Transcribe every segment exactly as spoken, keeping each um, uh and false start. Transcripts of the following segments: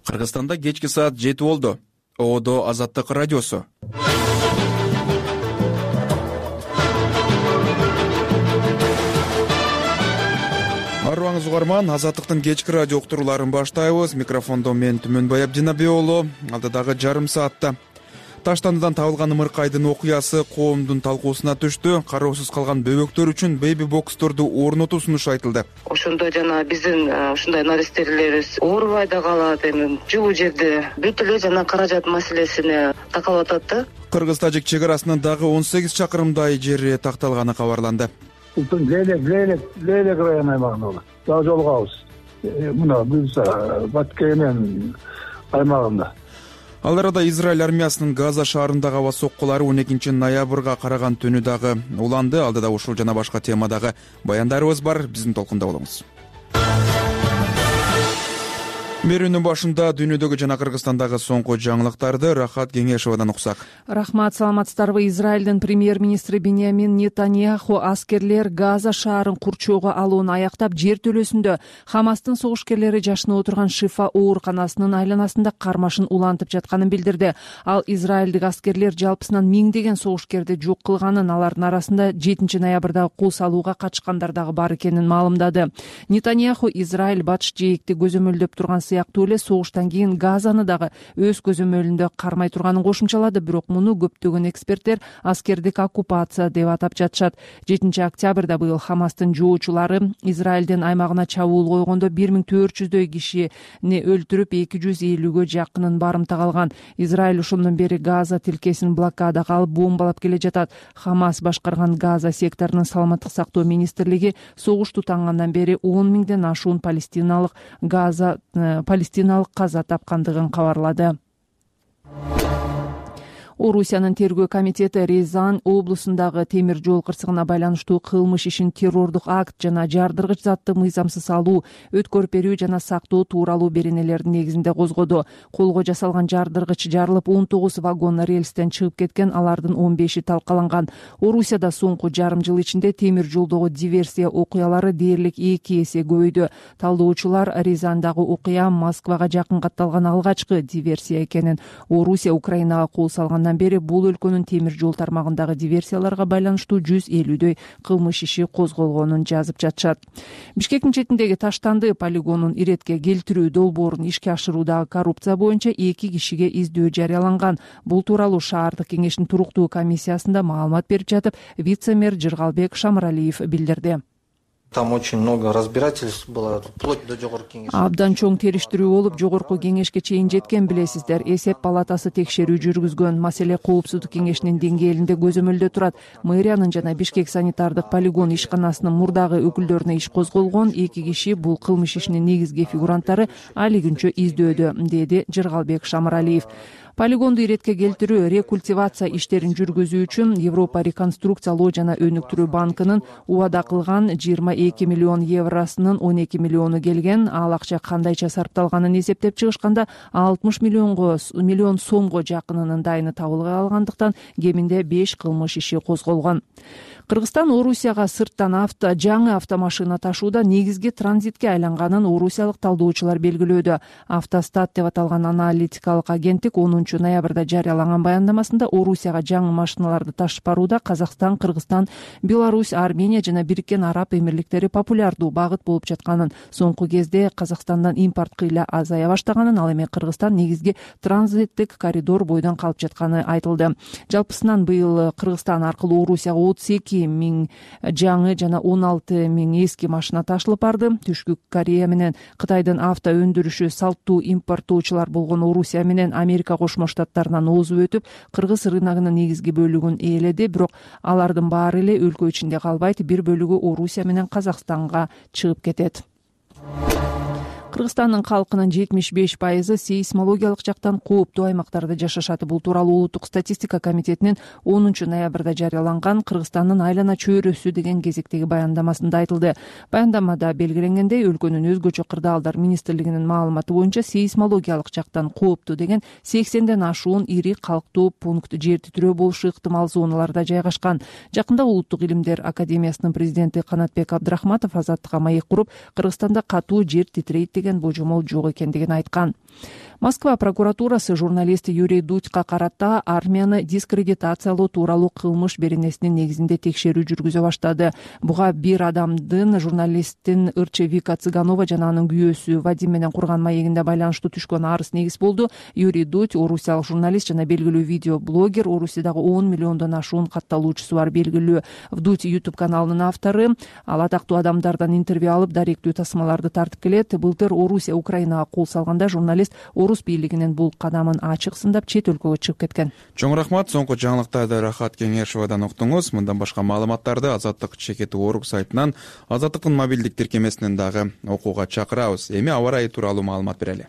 Кыргызстанда кечки саат жети болду. Оодо Азаттык радиосу. Арыбаңыз угарман, Азаттыктын кечки радио уктурууларын баштайбыз. Микрофондо мен Түмөнбай Абдинабек уулу. Алдыдагы жарым саатта Таштандыдан табылган ымыркайдын окуясы коомдун талкуусуна түштү. Кароосуз калган бөбөктөр үчүн бейби боксторду орнотуу сунушу айтылды. Ошондо жана биздин ушундай наристелерибиз оорубай да калат, эми жылуу жерде бүт эле жана каражат маселесине такалып атат да. Кыргыз-тажик чек арасынын дагы он сегиз чакырымдай жери такталганы кабарланды. Лейлек, Лейлек, Лейлек район аймагында болот. Дагы жолугабыз. Мына Гүлса, Баткенен аймагында. Ал арада Израиль армиясынын Газа шаарындагы аба соккулары он экинчи ноябрга караган түнү дагы уланды. Алдыда ушул жана башка темадагы баяндарыбыз бар. Биздин толкунда болуңуз. Мерүүнүн башында дүйнөдөгү жана Кыргызстандагы соңку жаңылыктарды Рахат Кеңешовадан уксак. Рахмат, саламатсыздарбы. Израилдин премьер-министри Биньямин Нетаньяху аскерлер Газа шаарын курчоого алууну аяктап, жер төлөсүндө Хамастын согушкерлери жашынып отурган Шифа ооруканасынын айланасында кармашын улантып жатканын билдирди. Ал израилдик аскерлер жалпысынан миңдеген согушкерди жок кылганын, алардын арасында жетинчи ноябрдагы кол салууга катышкандар дагы бар экенин маалымдады. Нетаньяху Израиль батыш жээкти көзөмөлдөп турган сыяктуу эле согуштан кийин Газаны дагы өз көзөмөлүндө кармай турганын кошумчалады. Бирок муну көптөгөн эксперттер аскердик оккупация деп атап жатышат. жетинчи октябрда быйыл Хамастын жоочулары Израилдин аймагына чабуул койгондо бир миң төрт жүздөй кишини өлтүрүп, эки жүз элүүгө жакынын барымтага алган. Израиль ошондон бери Газа тилкесин блокадага алып бомбалап келе жатат. Хамас башкарган Газа секторунун саламаттык сактоо министрлиги согуш тутангандан бери он миңден ашуун палестиналык Газа палестиналык каза тапкандыгын кабарлады. Орусиянын тергөө комитети Рязань облусундагы темир жол кырсыгына байланыштуу кылмыш ишин террордук акт жана жардыргыч затты мыйзамсыз алуу, өткөрүп берүү жана сактоо тууралуу беренелердин негизинде козгоду. Колго жасалган жардыргыч жарылып, он тогуз вагон рельстен чыгып кеткен, алардын он беши талкаланган. Орусияда соңку жарым жыл ичинде темир жолдогу диверсия окуялары дээрлик эки эсе көбөйдү. Талдоочулар Рязандагы окуя Москвага жакын катталган алгачкы диверсия экенин, Орусия Украинага кол салган бери бул өлкөнүн темир жол тармагындагы диверсияларга байланыштуу жүз элүүдөй кылмыш иши козголгонун жазып жатышат. Бишкектин четиндеги Таштанды полигонун иретке келтирүү долбоорун ишке ашыруудагы коррупция боюнча эки кишиге издөө жарыяланган. Бул тууралуу шаардык кеңештин туруктуу комиссиясында маалымат берип жатып, вице-мэр Жыргалбек Шамралиев билдирди. Там очень много разбирательств было, вплоть до жогорку кеңеш. Абдан чоң териштирүү болуп, жогорку кеңешке чейин жеткен, билесиздер. Эсеп палатасы текшерүү жүргүзгөн. Маселе коопсуздук кеңешинин деңгээлинде көзөмөлдө турат. Мэриянын жана Бишкек санитардык полигон ишканасынын мурдагы өкүлдөрүнө иш козголгон. Эки киши бул кылмыш ишинин негизги фигуранттары али күнчө издөөдө, деди Жыргалбек Шамралиев. Полигонду иретке келтирүү, рекультивация иштерин жүргүзүү үчүн Европа реконструкциялоо жана өнүктүрүү банкынын убада кылган жыйырма эки миллион евросунун он эки миллиону келген. Ал акча кандайча сарпталганын эсептеп чыгышканда алтымыш миллионго миллион сомго жакынынын дайыны табыла алгандыктан кеминде беш кылмыш иши козголгон. Кыргызстан Орусияга сырттан авто жаңы автомашина ташууда негизги транзитке айланганын орусиялык талдоочулар белгилөөдө. Автостат деп аталган аналитикалык агенттик онунчу ноябрда жарыялаган баяндамасында Орусияга жаңы машиналарды ташып барууда Казакстан, Кыргызстан, Беларусь, Армения жана Бириккен Араб Эмирликтери популярдуу багыт болуп жатканын, соңку кезде Казакстандан импорт кыйла азая баштаганын, ал эми Кыргызстан негизги транзиттик коридор бойдон калып жатканы айтылды. Жалпысынан быйыл Кыргызстан аркылуу Орусияга отуз эки миң жаңы жана он алты миң эски машина ташылып барды. Түшкү Корея менен Кытайдын авто өндүрүшү салттуу импорттоочулар болгон Орусия менен Америка Кошмо Штаттарынан озуп өтүп, кыргыз рыногунун негизги бөлүгүн ээледи. Бирок алардын баары эле өлкө ичинде калбайт, бир бөлүгү Орусия менен Казакстанга чыгып кетет. Кыргызстандын калкынын жетимиш беш пайызы сейсмологиялык жактан кооптуу аймактарда жашашат. Бул тууралуу Улуттук статистика комитетинин онунчу ноябрда жарыяланган Кыргызстандын айлана чөйрөсү деген кезектеги баяндамасында айтылды. Баяндамада белгиленгендей, өлкөнүн өзгөчө кырдаалдар министрлигинин маалыматы боюнча сейсмологиялык жактан кооптуу деген сексенден ашуун ири калктуу пункт жер титирөө болушу ыктымал зоналарда жайгашкан. Жакында Улуттук илимдер академиясынын президенти Канатбек Абдрахматов Азаттыкка маек куруп, Кыргызстанда катуу жер титирейт деген божомол жок экендигин айткан. Москва прокуратурасы журналист Юрий Дудька карата армияны дискредитациялоо тууралуу кылмыш беренесинин негизинде текшерүү жүргүзө баштады. Буга бир адамдын журналисттин ырчы Вика Цыганова жана анын күйөөсү Вадим менен курган маегинде байланыштуу түшкөн арыз негиз болду. Юрий Дудь орусиялык журналист жана белгилүү видеоблогер, Орусиядагы он миллиондон ашуун катталуучусу бар белгилүү Вдудь YouTube каналынын автору. Ал атактуу адамдардан интервью алып, даректүү тасмаларды тартып келет. Былтыр Орусия Украинага кол салганда журналист орус бийлигинин бул кадамын ачык сындап чет өлкөгө чыгып кеткен. Чоң рахмат. Соңку жаңылыктарды Рахат Кеңешовадан уктуңуз. Мындан башка маалыматтарды Азаттык чекит орг сайтынан, Азаттыктын мобилдик тиркемесинен дагы окууга чакырабыз. Эми аба ырайы тууралуу маалымат берели.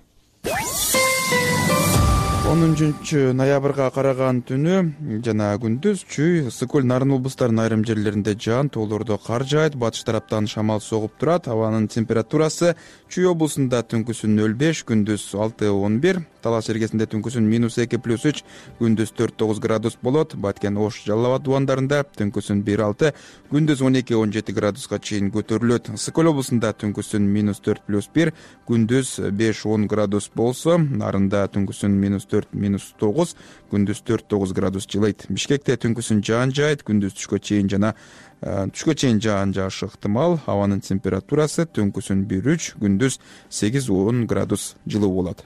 онунчу ноябрга караган түнү жана күндүз чүй, ысык көл, Нарын облустарынын айрым жерлеринде жаан тоолордо кар жаайт, батыш тараптан шамал согуп турат. Абанын температурасы Чүй облусунда түнкүсүн нөл беш, күндүз алты он бир, Талас Эргесинде түнкүсүн минус эки плюс үч, күндүз төрт тогуз градус болот. Баткен, Ош, Жалал Абад дубандарында түнкүсүн бир алты, күндүз он эки он жети градуска чейин көтөрүлөт. Ысык көл облусунда түнкүсүн минус төрт плюс бир, күндүз беш он градус болсо, Нарында түнкүсүн минус төрт минус тогуз, күндүз төрт тогуз градус жылыйт. Бишкекте түнкүсүн жаан жаайт, күндүз түшкө чейин жана түшкө чейин жаан жаашы ыктымал. Абанын температурасы түнкүсүн бир үч, күндүз сегиз он градус жылуу болот.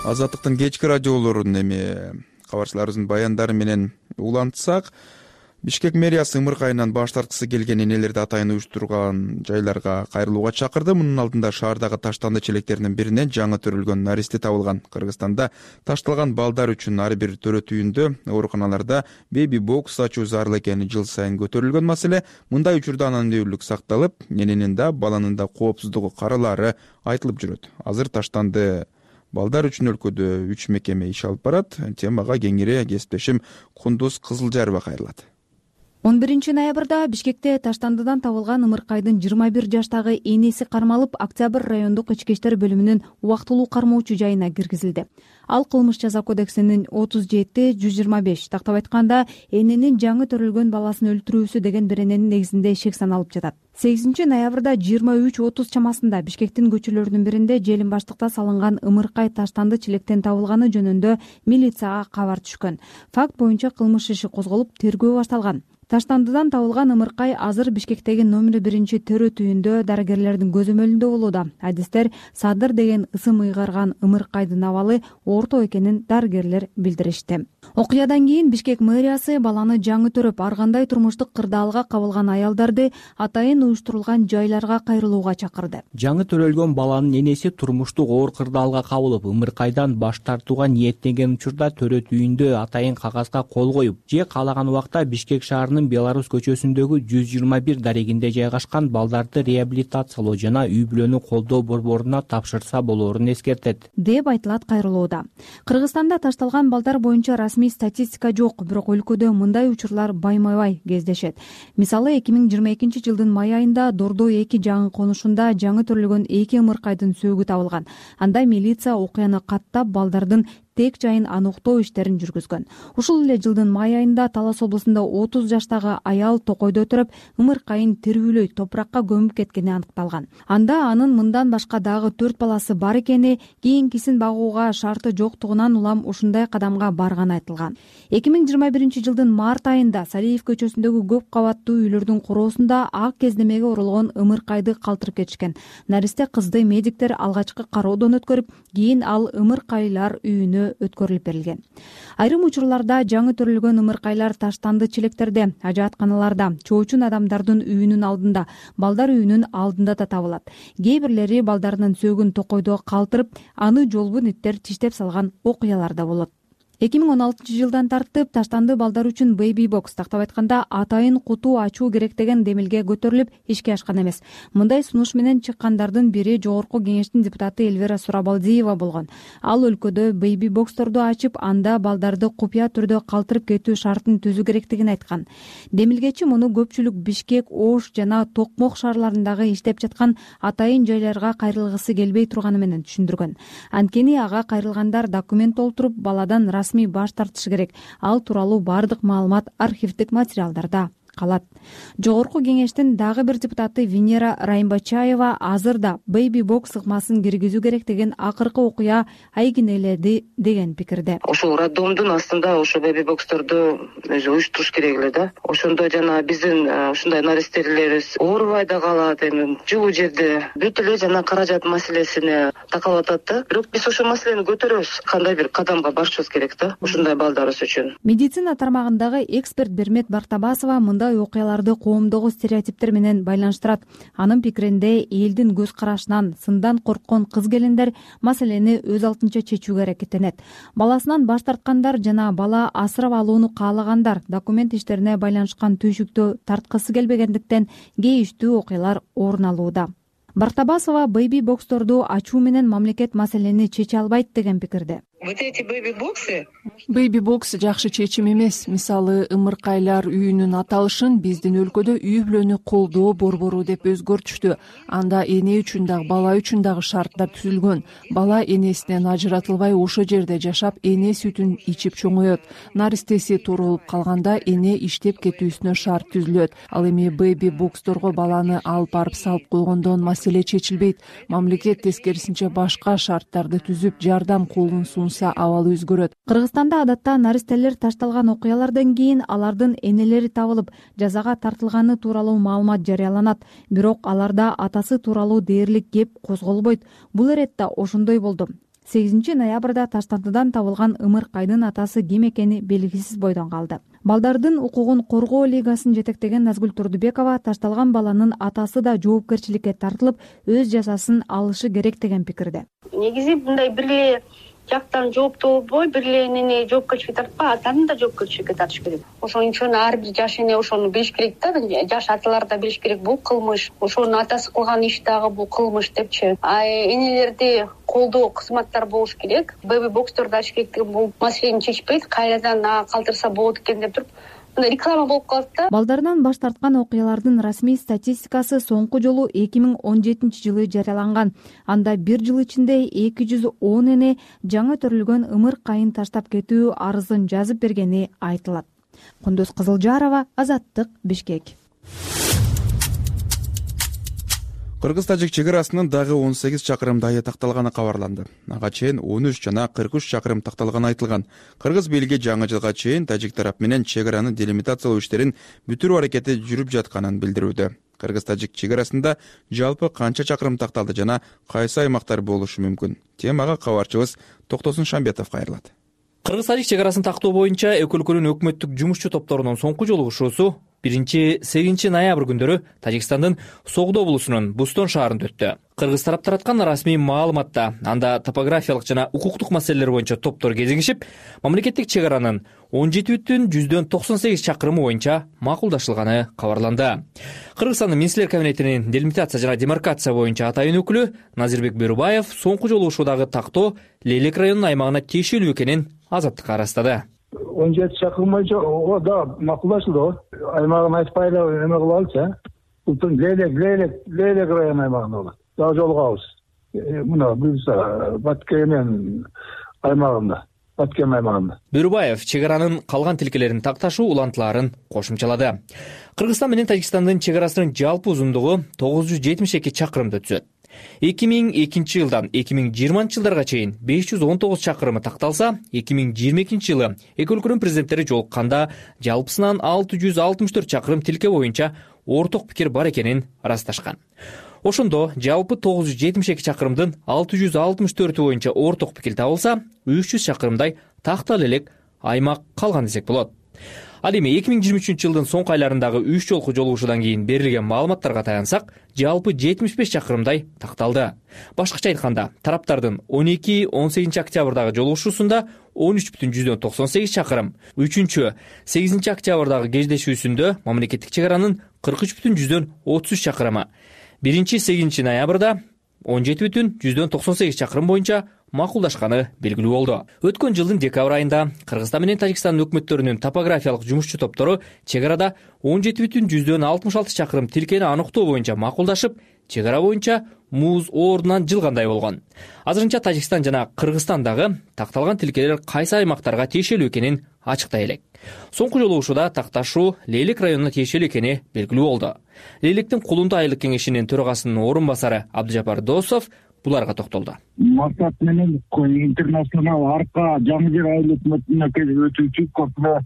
Азаттыктын кечки радиолорун эми кабарчыларыбыздын баяндары менен улантсак, Бишкек мэриясы ымырк айынан баш тарткысы келген энелерди атайын уюштурган жайларга кайрылууга чакырды. Мунун алдында шаардагы таштанды челектеринин биринен жаңы төрөлгөн наристе табылган. Кыргызстанда ташталган балдар үчүн ар бир төрөт үйүндө, ооруканаларда беби бокс ачуу зарыл экени жыл сайын көтөрүлгөн маселе. Мындай учурда анонимдүүлүк сакталып, эненин да, баланын да коопсуздугу каралаары айтылып жүрөт. Азыр таштанды балдар үчүн өлкөдө үч мекеме иш алып барат. Темага кеңири кесиптешим Кундуз Кызылжарова кайрылат. он биринчи ноябрда Бишкекте таштандыдан табылган ымыркайдын жыйырма бир жаштагы энеси кармалып, Октябрь райондук ички иштер бөлүмүнүн убактылуу кармоочу жайына киргизилди. Ал кылмыш жаза кодексинин отуз жети жүз жыйырма беш, тактап айтканда, эненин жаңы төрөлгөн баласын өлтүрүүсү деген берененин негизинде шек саналып жатат. сегизинчи ноябрда жыйырма үч отуз чамасында Бишкектин көчөлөрүнүн биринде Желимбаштыкта салынган ымыркай таштанды челектен табылганы жөнүндө милицияга кабар түшкөн. Факт боюнча кылмыш иши козголуп, тергөө башталган. Таштандыдан табылган ымыркай азыр Бишкектеги номер биринчи төрөт үйүндө дарыгерлердин көзөмөлүндө болууда. Адистер Садыр деген ысым ыйгарган ымыркайдын абалы орто экенин дарыгерлер билдиришти. Окуядан кийин Бишкек мэриясы баланы жаңы төрөп, ар кандай турмуштук кырдаалга кабылган аялдарды атайын уюштурулган жайларга кайрылууга чакырды. Жаңы төрөлгөн баланын энеси турмуштук оор кырдаалга кабылып, ымыркайдан баш тартууга ниеттенген учурда төрөт үйүндө атайын кагазга кол коюп, же каалаган убакта Бишкек шаарынын Беларусь көчөсүндөгү жүз жыйырма бир дарегинде жайгашкан балдарды реабилитациялоо жана үй бүлөнү колдоо борборуна тапшырса болоорун эскертет, деп айтылат кайрылууда. Кыргызстанда ташталган балдар боюнча расмий статистика жок, бирок өлкөдө мындай учурлар байма-бай кездешет. Мисалы, эки миң жыйырма экинчи жылдын май айында Дордой эки жаңы конушунда жаңы төрөлгөн эки ымыркайдын сөөгү табылган. Анда милиция окуяны каттап, балдардын тек жайын аныктоо иштерин жүргүзгөн. Ушул эле жылдын май айында Талас облусунда отуз жаштагы аял токойдо отуруп, ымыркайын тирүүлөй топуракка көмүп кеткени аныкталган. Анда анын мындан башка дагы төрт баласы бар экени, кийинкисин багууга шарты жоктугунан улам ушундай кадамга барганы айтылган. эки миң жыйырма биринчи жылдын март айында Салиев көчөсүндөгү көп кабаттуу үйлөрдүн короосунда ак кездемеге урулган ымыркайды калтырып кетишкен. Наристе кызды медиктер алгачкы кароодон өткөрүп, кийин ал ымыркайлар үйүнө өткөрүлүп берилген. Айрым учурларда жаңы төрөлгөн ымыркайлар таштанды челектерде, ажаатканаларда, чоочун адамдардын үйүнүн алдында, балдар үйүнүн алдында да табылат. Кээ бирлери балдарынын сөөгүн токойдо калтырып, аны жолбун иттер тиштеп салган окуялар да болот. эки миң он алтынчы жылдан тартып таштанды балдар үчүн бейби бокс, тактап айтканда атайын куту ачуу керек деген демилге көтөрүлүп, ишке ашкан эмес. Мындай сунуш менен чыккандардын бири Жогорку кеңештин депутаты Эльвира Сурабалдиева болгон. Ал өлкөдө бейби боксторду ачып, анда балдарды купуя түрдө калтырып кетүү шартын түзүү керектигин айткан. Демилгечи муну көпчүлүк Бишкек, Ош жана Токмок шаарларындагы иштеп жаткан атайын жайларга кайрылгысы келбей турганы менен түшүндүргөн. Анткени ага кайрылгандар документ толтуруп, баладан расмий баш тартышы керек. Ал тууралуу бардык маалымат архивдик материалдарда калат. Жогорку кеңештин дагы бир депутаты Венера Райымбачаева азыр да бейби бокс ыкмасын киргизүү керек деген акыркы окуя айгинеледи деген пикирде. Ошол роддомдун астында ошо бейби боксторду өзү уюштуруш керек эле да. Ошондо жана биздин ушундай наристелерибиз оорубай да калат, эми жылуу жерде бүт эле жана каражат маселесине такалып атат да. Бирок биз ошол маселени көтөрөбүз, кандай бир кадамга барышыбыз керек да ушундай балдарыбыз үчүн. Медицина тармагындагы эксперт Бермет Бартабасова мындай окуяларды коомдогу стереотиптер менен байланыштырат. Анын пикиринде элдин көз карашынан сындан корккон кыз-келиндер маселени өз алдынча чечүүгө аракеттенет. Баласынан баш тарткандар жана бала асырап алууну каалагандар документ иштерине байланышкан түйшүктө тарткысы келбегендиктен кейиштүү окуялар орун алууда. Бартабасова бейби боксторду ачуу менен мамлекет маселени чече албайт деген пикирде. Вот эти бейби-боксы бейби бокс жакшы чечим эмес. Мисалы, ымыркайлар үйүнүн аталышын биздин өлкөдө үй бүлөнү колдоо борбору деп өзгөртүштү. Анда эне үчүн дагы бала үчүн дагы шарттар түзүлгөн. Бала энесинен ажыратылбай ошо жерде жашап, эне сүтүн ичип чоңоет. Наристеси тууралып калганда эне иштеп кетүүсүнө шарт түзүлөт. Ал эми бейби боксторго баланы алып барып салып койгондон маселе чечилбейт. Мамлекет тескерисинче башка шарттарды түзүп, жардам колун абалы өзгөрөт. Кыргызстанда адатта наристелер ташталган окуялардан кийин алардын энелери табылып, жазага тартылганы тууралуу маалымат жарыяланат. Бирок аларда атасы тууралуу дээрлик кеп козголбойт. Бул эретте ошондой болду. сегизинчи ноябрда Таштандыдан табылган ымыркайдын атасы ким экени белгисиз бойдон калды. Балдардын укугун коргоо лигасын жетектеген Назгүл Турдубекова ташталган баланын атасы да жоопкерчиликке тартылып, өз жазасын алышы керек деген пикирде. Негизи мындай бир эле жактан жооптуу болбой, бир эле энени жоопкерчиликке тартпай, атаны да жоопкерчиликке тартыш керек. Ошон үчүн ар бир жаш эне ошону билиш керек да, жаш аталар да билиш керек, бул кылмыш, ошонун атасы кылган иш дагы бул кылмыш депчи. А энелерди колдоо кызматтар болуш керек. Бейби боксторду ачыш керек, бул маселени чечпейт, кайрадан калтырса болот экен деп туруп реклама болуп калат да. Балдардан баш тарткан окуялардын расмий статистикасы соңку жолу эки миң он жетинчи жылы жарыяланган. Анда бир жыл ичинде эки жүз он эне жаңы төрөлгөн ымыркайын таштап кетүү арызын жазып бергени айтылат. Кундуз Кызылжарова, Азаттык, Бишкек. Кыргыз-тажик чек арасынын дагы он сегиз чакырым дайы такталганы кабарланды. Ага чейин он үч жана кырк үч чакырым такталганы айтылган. Кыргыз бийлиги жаңы жылга чейин тажик тарап менен чек араны делимитациялоо иштерин бүтүрүү аракети жүрүп жатканын билдирүүдө. Кыргыз-тажик чек арасында жалпы канча чакырым такталды жана кайсы аймактар болушу мүмкүн? Темага кабарчыбыз Токтосун Шамбетов кайрылат. Кыргыз-тажик чек арасын тактоо боюнча эки өлкөнүн өкмөттүк жумушчу топторунун соңку жолугушуусу биринчи сегизинчи ноябрь күндөрү Тажикстандын Согдо облусунун Бустон шаарында өттү. Кыргыз тарап тараткан расмий маалыматта анда топографиялык жана укуктук маселелер боюнча топтор кезигишип, мамлекеттик чек аранын он жети бүтүн жүздөн токсон сегиз чакырымы боюнча макулдашылганы кабарланды. Кыргызстандын Министрлер кабинетинин делимитация жана демаркация боюнча атайын өкүлү Назирбек Берубаев соңку жолугушуудагы тактоо Лейлек районунун аймагына тиешелүү экенин Азаттыкка ырастады. он жети чакырым боюнча о да макулдашылды. Аймагын айтпай эле эме кылалычы. Бул Лейлек, Лейлек, Лейлек районунун аймагында болот. Дагы жолугабыз. Мына буюрса Баткен менен аймагында, Баткен аймагында. Берубаев чек аранын калган тилкелерин такташуу улантыларын кошумчалады. Кыргызстан менен Тажикстандын чек арасынын жалпы узундугу тогуз жүз жетимиш эки чакырымды түзөт. эки миң экинчи жылдан эки миң жыйырманчы жылдарга чейин беш жүз он тогуз чакырымы такталса, эки миң жыйырма экинчи жылы эки өлкөнүн президенттери жолукканда жалпысынан алты жүз алтымыш төрт чакырым тилке боюнча орток пикир бар экенин ырасташкан. Ошондо жалпы тогуз жүз жетимиш эки чакырымдын алты жүз алтымыш төртү боюнча орток пикир табылса, үч жүз чакырымдай тактала элек аймак калган десек болот. Ал эми эки миң жыйырма үчүнчү жылдын соңку айларындагы үч жолку жолугушуудан кийин берилген маалыматтарга таянсак, жалпы жетимиш беш чакырымдай такталды. Башкача айтканда, тараптардын он эки он сегизинчи октябрдагы жолугушуусунда он үч бүтүн жүздөн токсон сегиз чакырым, үчүнчү сегизинчи октябрдагы кездешүүсүндө мамлекеттик чек аранын кырк үч бүтүн жүздөн отуз үч чакырымы, биринчи сегизинчи ноябрда он жети бүтүн жүздөн токсон сегиз чакырым боюнча макулдашканы белгилүү болду. Өткөн жылдын декабрь айында Кыргызстан менен Тажикстандын өкмөттөрүнүн топографиялык жумушчу топтору чек арада он жети бүтүн жүздөн алтымыш алты чакырым тилкени аныктоо боюнча макулдашып, чек ара боюнча муз ордунан жылгандай болгон. Азырынча Тажикстан жана Кыргызстан дагы такталган тилкелер кайсы аймактарга тиешелүү экенин ачыктай элек. Соңку жолу ушуда такташуу Лейлек районуна тиешелүү экени белгилүү болду. Лейлектин Кулунту айылык кеңешинин төрагасынын орун басары Абдыжапар Досов буларга токтолду. Максат менен интернационал арка жаңы жер айыл өкмөтүнө өтүүчү көпүнө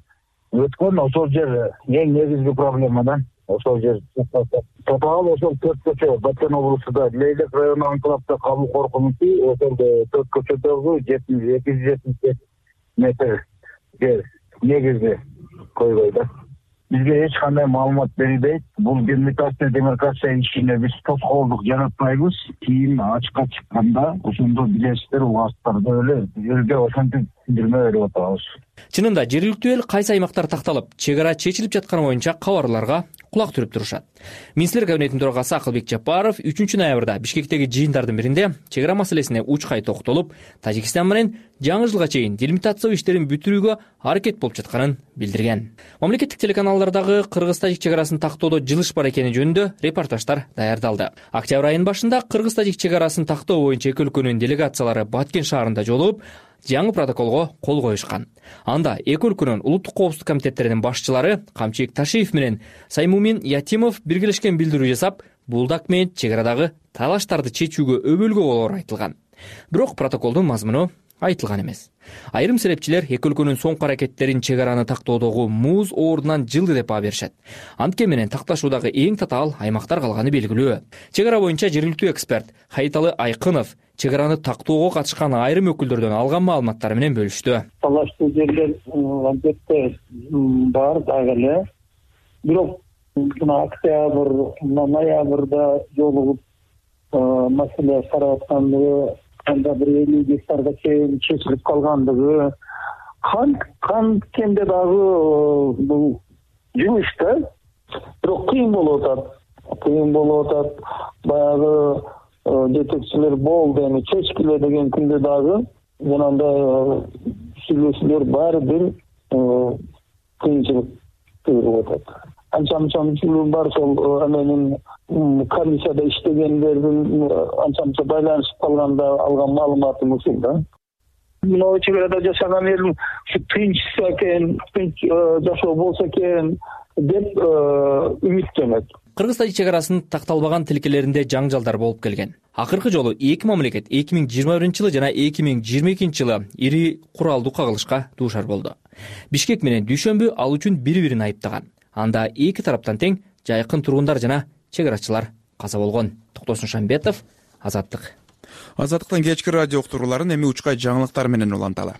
өткөн ошол жер эң негизги проблема да. Ошол жер тотал ошол төрт көчө Баткен облусунда Лейлек району анклавда калуу коркунучу ошол төрт көчөдөгү жетимиш эки жүз жетимиш беш метр жер негизги койбой да. Бизге эч кандай маалымат берилбейт. Бул демилитация демаркация ишине биз тоскоолдук жаратпайбыз. Кийин ачыкка чыкканда ошондо билесиздер убактарды эле элге ошентип билдирме берип атабыз. Чынында жергиликтүү эл кайсы аймактар такталып, чек ара чечилип жатканы боюнча кабарларга кулак түрүп турушат. Министрлер кабинетинин төрагасы Акылбек Жапаров үчүнчү ноябрда Бишкектеги жыйындардын биринде чек ара маселесине учкай токтолуп, Тажикстан менен жаңы жылга чейин делимитация иштерин бүтүрүүгө аракет болуп жатканын билдирген. Мамлекеттик телеканалдардагы Кыргыз-Тажик чек арасын тактоодо жылыш бар экени жөнүндө репортаждар даярдалды. Октябрь айынын башында Кыргыз-Тажик чек арасын тактоо боюнча эки өлкөнүн делегациялары Баткен шаарында жолугуп, жаңы протоколго кол коюшкан. Анда эки өлкөнүн улуттук коопсуздук комитеттеринин башчылары Камчыек Ташиев менен Саймумин Ятимов биргелешкен билдирүү жасап, бул документ чек арадагы талаштарды чечүүгө өбөлгө болоору айтылган. Бирок протоколдун мазмуну айтылган эмес. Айрым серепчилер эки өлкөнүн соңку аракеттерин чек араны тактоодогу муз оорунан жылды деп баа беришет. Антке менен такташуудагы эң татаал аймактар калганы белгилүү. Чек ара боюнча жергиликтүү эксперт Хайталы Айкынов чек араны тактоого катышкан айрым өкүлдөрдөн алган маалыматтары менен бөлүштү. Талаштуу жерлер албетте бар дагы эле. Бирок мына октябрь, ноябрда жолугуп маселе карап аткандыгы, анда бир элүү гектарга чейин чечилип калгандыгы, канткенде дагы бул жумуш да. Бирок кыйын болуп атат. Кыйын болуп атат. Баягы жетекчилер болду, эми чечкиле деген күндө дагы жанагындай сүйлөшүүлөр баары бир кыйынчылык тууруп атат. Анча мынча бар, сол эменин комиссияда иштегендердин анча мынча байланышып калганда алган маалыматым ушул да. Мына чек арада жашаган эл ушу тынчса экен, тынч жашоо болсо экен деп үмүттөнөт. Кыргыз-Тажик чек арасынын такталбаган тилкелеринде жаңжалдар болуп келген. Акыркы жолу эки мамлекет эки миң жыйырма биринчи жылы жана эки миң жыйырма экинчи жылы ири куралдуу кагылышка дуушар болду. Бишкек менен Дүйшөмбү ал үчүн бири-бирин айыптаган. Анда эки тараптан тең жайкын тургундар жана чек арачылар каза болгон. Токтосун Шамбетов, Азаттык. Азаттыктын кечки радио уктурууларын эми учкай жаңылыктар менен уланталы.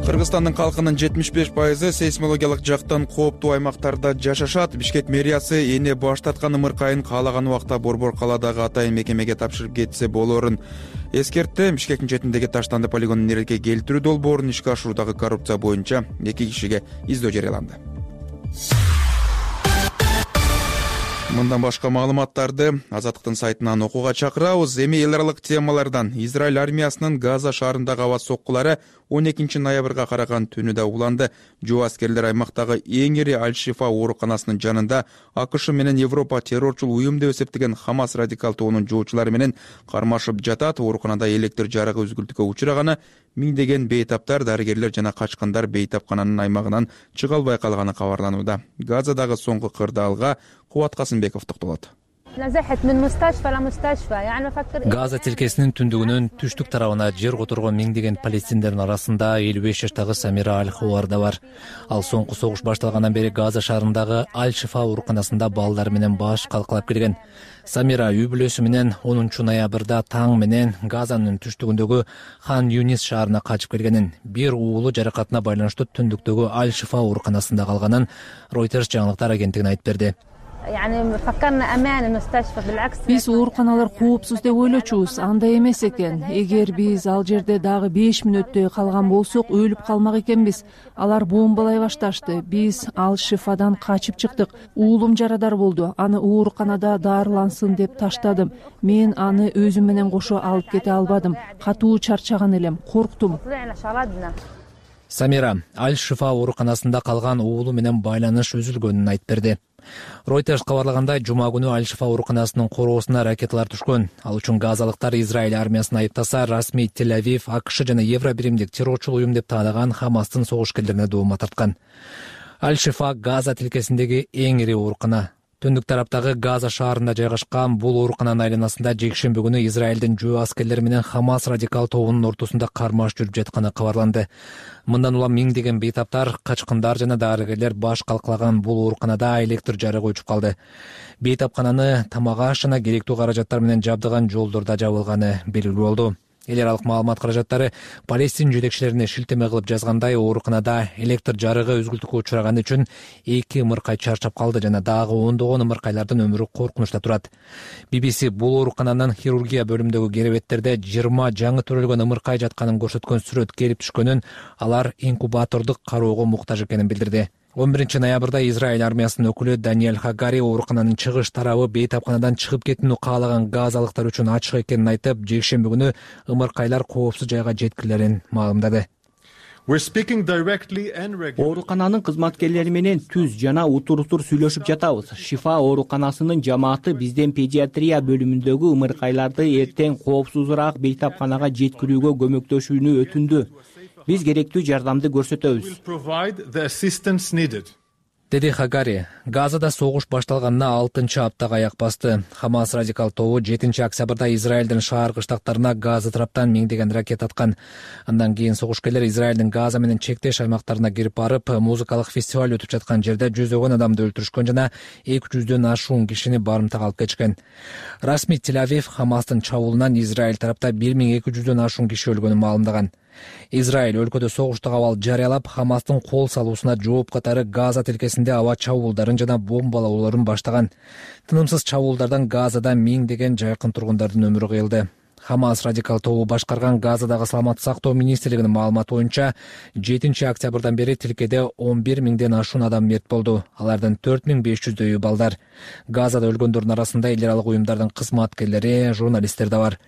Кыргызстандын калкынын жетимиш беш пайызы сейсмологиялык жактан кооптуу аймактарда жашашат. Бишкек мэриясы эне баштаткан ымыркайын каалаган убакта Борбор калаадагы атайын мекемеге тапшырып кетсе болоорун эскертти. Бишкектин четиндеги Таштанды полигонун эрке келтирүү долбоорун ишке ашыруудагы коррупция боюнча эки кишиге издөө жарыяланды. Мындан башка маалыматтарды Азаттыктын сайтынан окууга чакырабыз. Эми эл аралык темалардан Израиль армиясынын Газа шаарындагы аба соккулары он экинчи ноябрга караган түнү уланды. Жоо аскерлер аймактагы эң ири Аль-Шифа ооруканасынын жанында АКШ менен Европа террорчул уюм деп эсептеген Хамас радикал тобунун жоочулары менен кармашып жатат. Ооруканада электр жарыгы үзгүлтүккө учураганы, миңдеген бейтаптар, дарыгерлер жана качкындар бейтапкананын аймагынан чыга албай калганы кабарланууда. Газадагы соңку кырдаалга Кубат Касымбеков токтолот. Газа тилкесинин түндүгүнүн түштүк тарабына жер которгон миңдеген палестиндердин арасында элүү беш жаштагы Самира Аль-Хуар да бар. Ал соңку согуш башталгандан бери Газа шаарындагы Аль-Шифа ооруканасында балдар менен баш калкалап келген. Самира үй бүлөсү менен онунчу ноябрда таң менен Газанын түштүгүндөгү Хан Юнис шаарына качып келгенин, бир уулу жаракатына байланыштуу түндүктөгү Аль-Шифа ооруканасында калганын Reuters жаңылыктар агенттигине айтып берди. Биз ооруканалар коопсуз деп ойлочубуз, андай эмес экен. Эгер биз ал жерде дагы беш мүнөттөй калган болсок, өлүп калмак экенбиз. Алар бомбалай башташты. Биз Аль-Шифадан качып чыктык. Уулум жарадар болду. Аны ооруканада дарылансын деп таштадым. Мен аны өзүм менен кошо алып кете албадым. Катуу чарчаган элем, корктум. Самира Аль Шифа ооруканасында калган уулу менен байланыш үзүлгөнүн айтып берди. Reuters кабарлагандай, жума күнү Аль Шифа ооруканасынын короосуна ракеталар түшкөн. Ал үчүн газалыктар Израиль армиясын айыптаса, расмий Тель-Авив АКШ жана Евробиримдик террорчул уюм деп таалаган Хамастын согушкерлерине доомат тарткан. Аль Шифа Газа тилкесиндеги эң ири оорукана. Түндүк тараптагы Газа шаарында жайгашкан бул оорукананын айланасында жекшемби күнү Израилдин жөө аскерлери менен Хамас радикал тобунун ортосунда кармаш жүрүп жатканы кабарланды. Мындан улам миңдеген бейтаптар, качкындар жана дарыгерлер баш калкалаган бул ооруканада электр жарыгы өчүп калды. Бейтапкананы тамак аш жана керектүү каражаттар менен жабдыган жолдорда жабылганы белгилүү болду. Эл аралык маалымат каражаттары Палестин жетекчилерине шилтеме кылып жазгандай, ооруканада электр жарыгы үзгүлтүккө учураганы үчүн эки ымыркай чарчап калды жана дагы ондогон ымыркайлардын өмүрү коркунучта турат. би би си бул оорукананын хирургия бөлүмүндөгү керебеттерде жыйырма жаңы төрөлгөн ымыркай жатканын көрсөткөн сүрөт келип түшкөнүн, алар инкубатордук кароого муктаж экенин билдирди. он биринчи ноябрда Израиль армиясынын өкүлү Даниэль Хагари оорукананын чыгыш тарабы бейтапканадан чыгып кетүүнү каалаган газалыктар үчүн ачык экенин айтып, жекшемби күнү ымыркайлар коопсуз жайга жеткилерин маалымдады. Оорукананын кызматкерлери менен түз жана утур-утур сүйлөшүп жатабыз. Шифа ооруканасынын жамааты бизден педиатрия бөлүмүндөгү ымыркайларды эртең коопсузураак бейтапканага жеткирүүгө көмөктөшүүнү өтүндү. Биз керектүү жардамды көрсөтөбүз, деди Хагари. Газада согуш башталганына алтынчы аптага аяк басты. Хамас радикал тобу жетинчи октябрда Израилдин шаар кыштактарына Газа тараптан миңдеген ракет аткан. Андан кийин согушкерлер Израилдин Газа менен чектеш аймактарына кирип барып, музыкалык фестиваль өтүп жаткан жерде жүзөгөн адамды өлтүрүшкөн жана эки жүздөн ашуун кишини барымтага алып кетишкен. Расмий Тель-Авив Хамастын чабуулунан Израиль тарапта бир миң эки жүздөн ашуун киши өлгөнүн маалымдаган. Израиль өлкөдө согуштук абал жарыялап, Хамастын кол салуусуна жооп катары Газа тилкесинде аба чабуулдарын жана бомбалоолорун баштаган. Тынымсыз чабуулдардан Газада миңдеген жайкын тургундардын өмүрү кыйылды. Хамас радикал тобу башкарган Газадагы саламаттык сактоо министрлигинин маалыматы боюнча, жетинчи октябрдан бери тилкеде он бир миңден ашуун адам мерт болду. Алардын төрт миң беш жүздөйү балдар. Газада өлгөндөрдүн арасында эл аралык уюмдардын кызматкерлери, журналисттер да бар.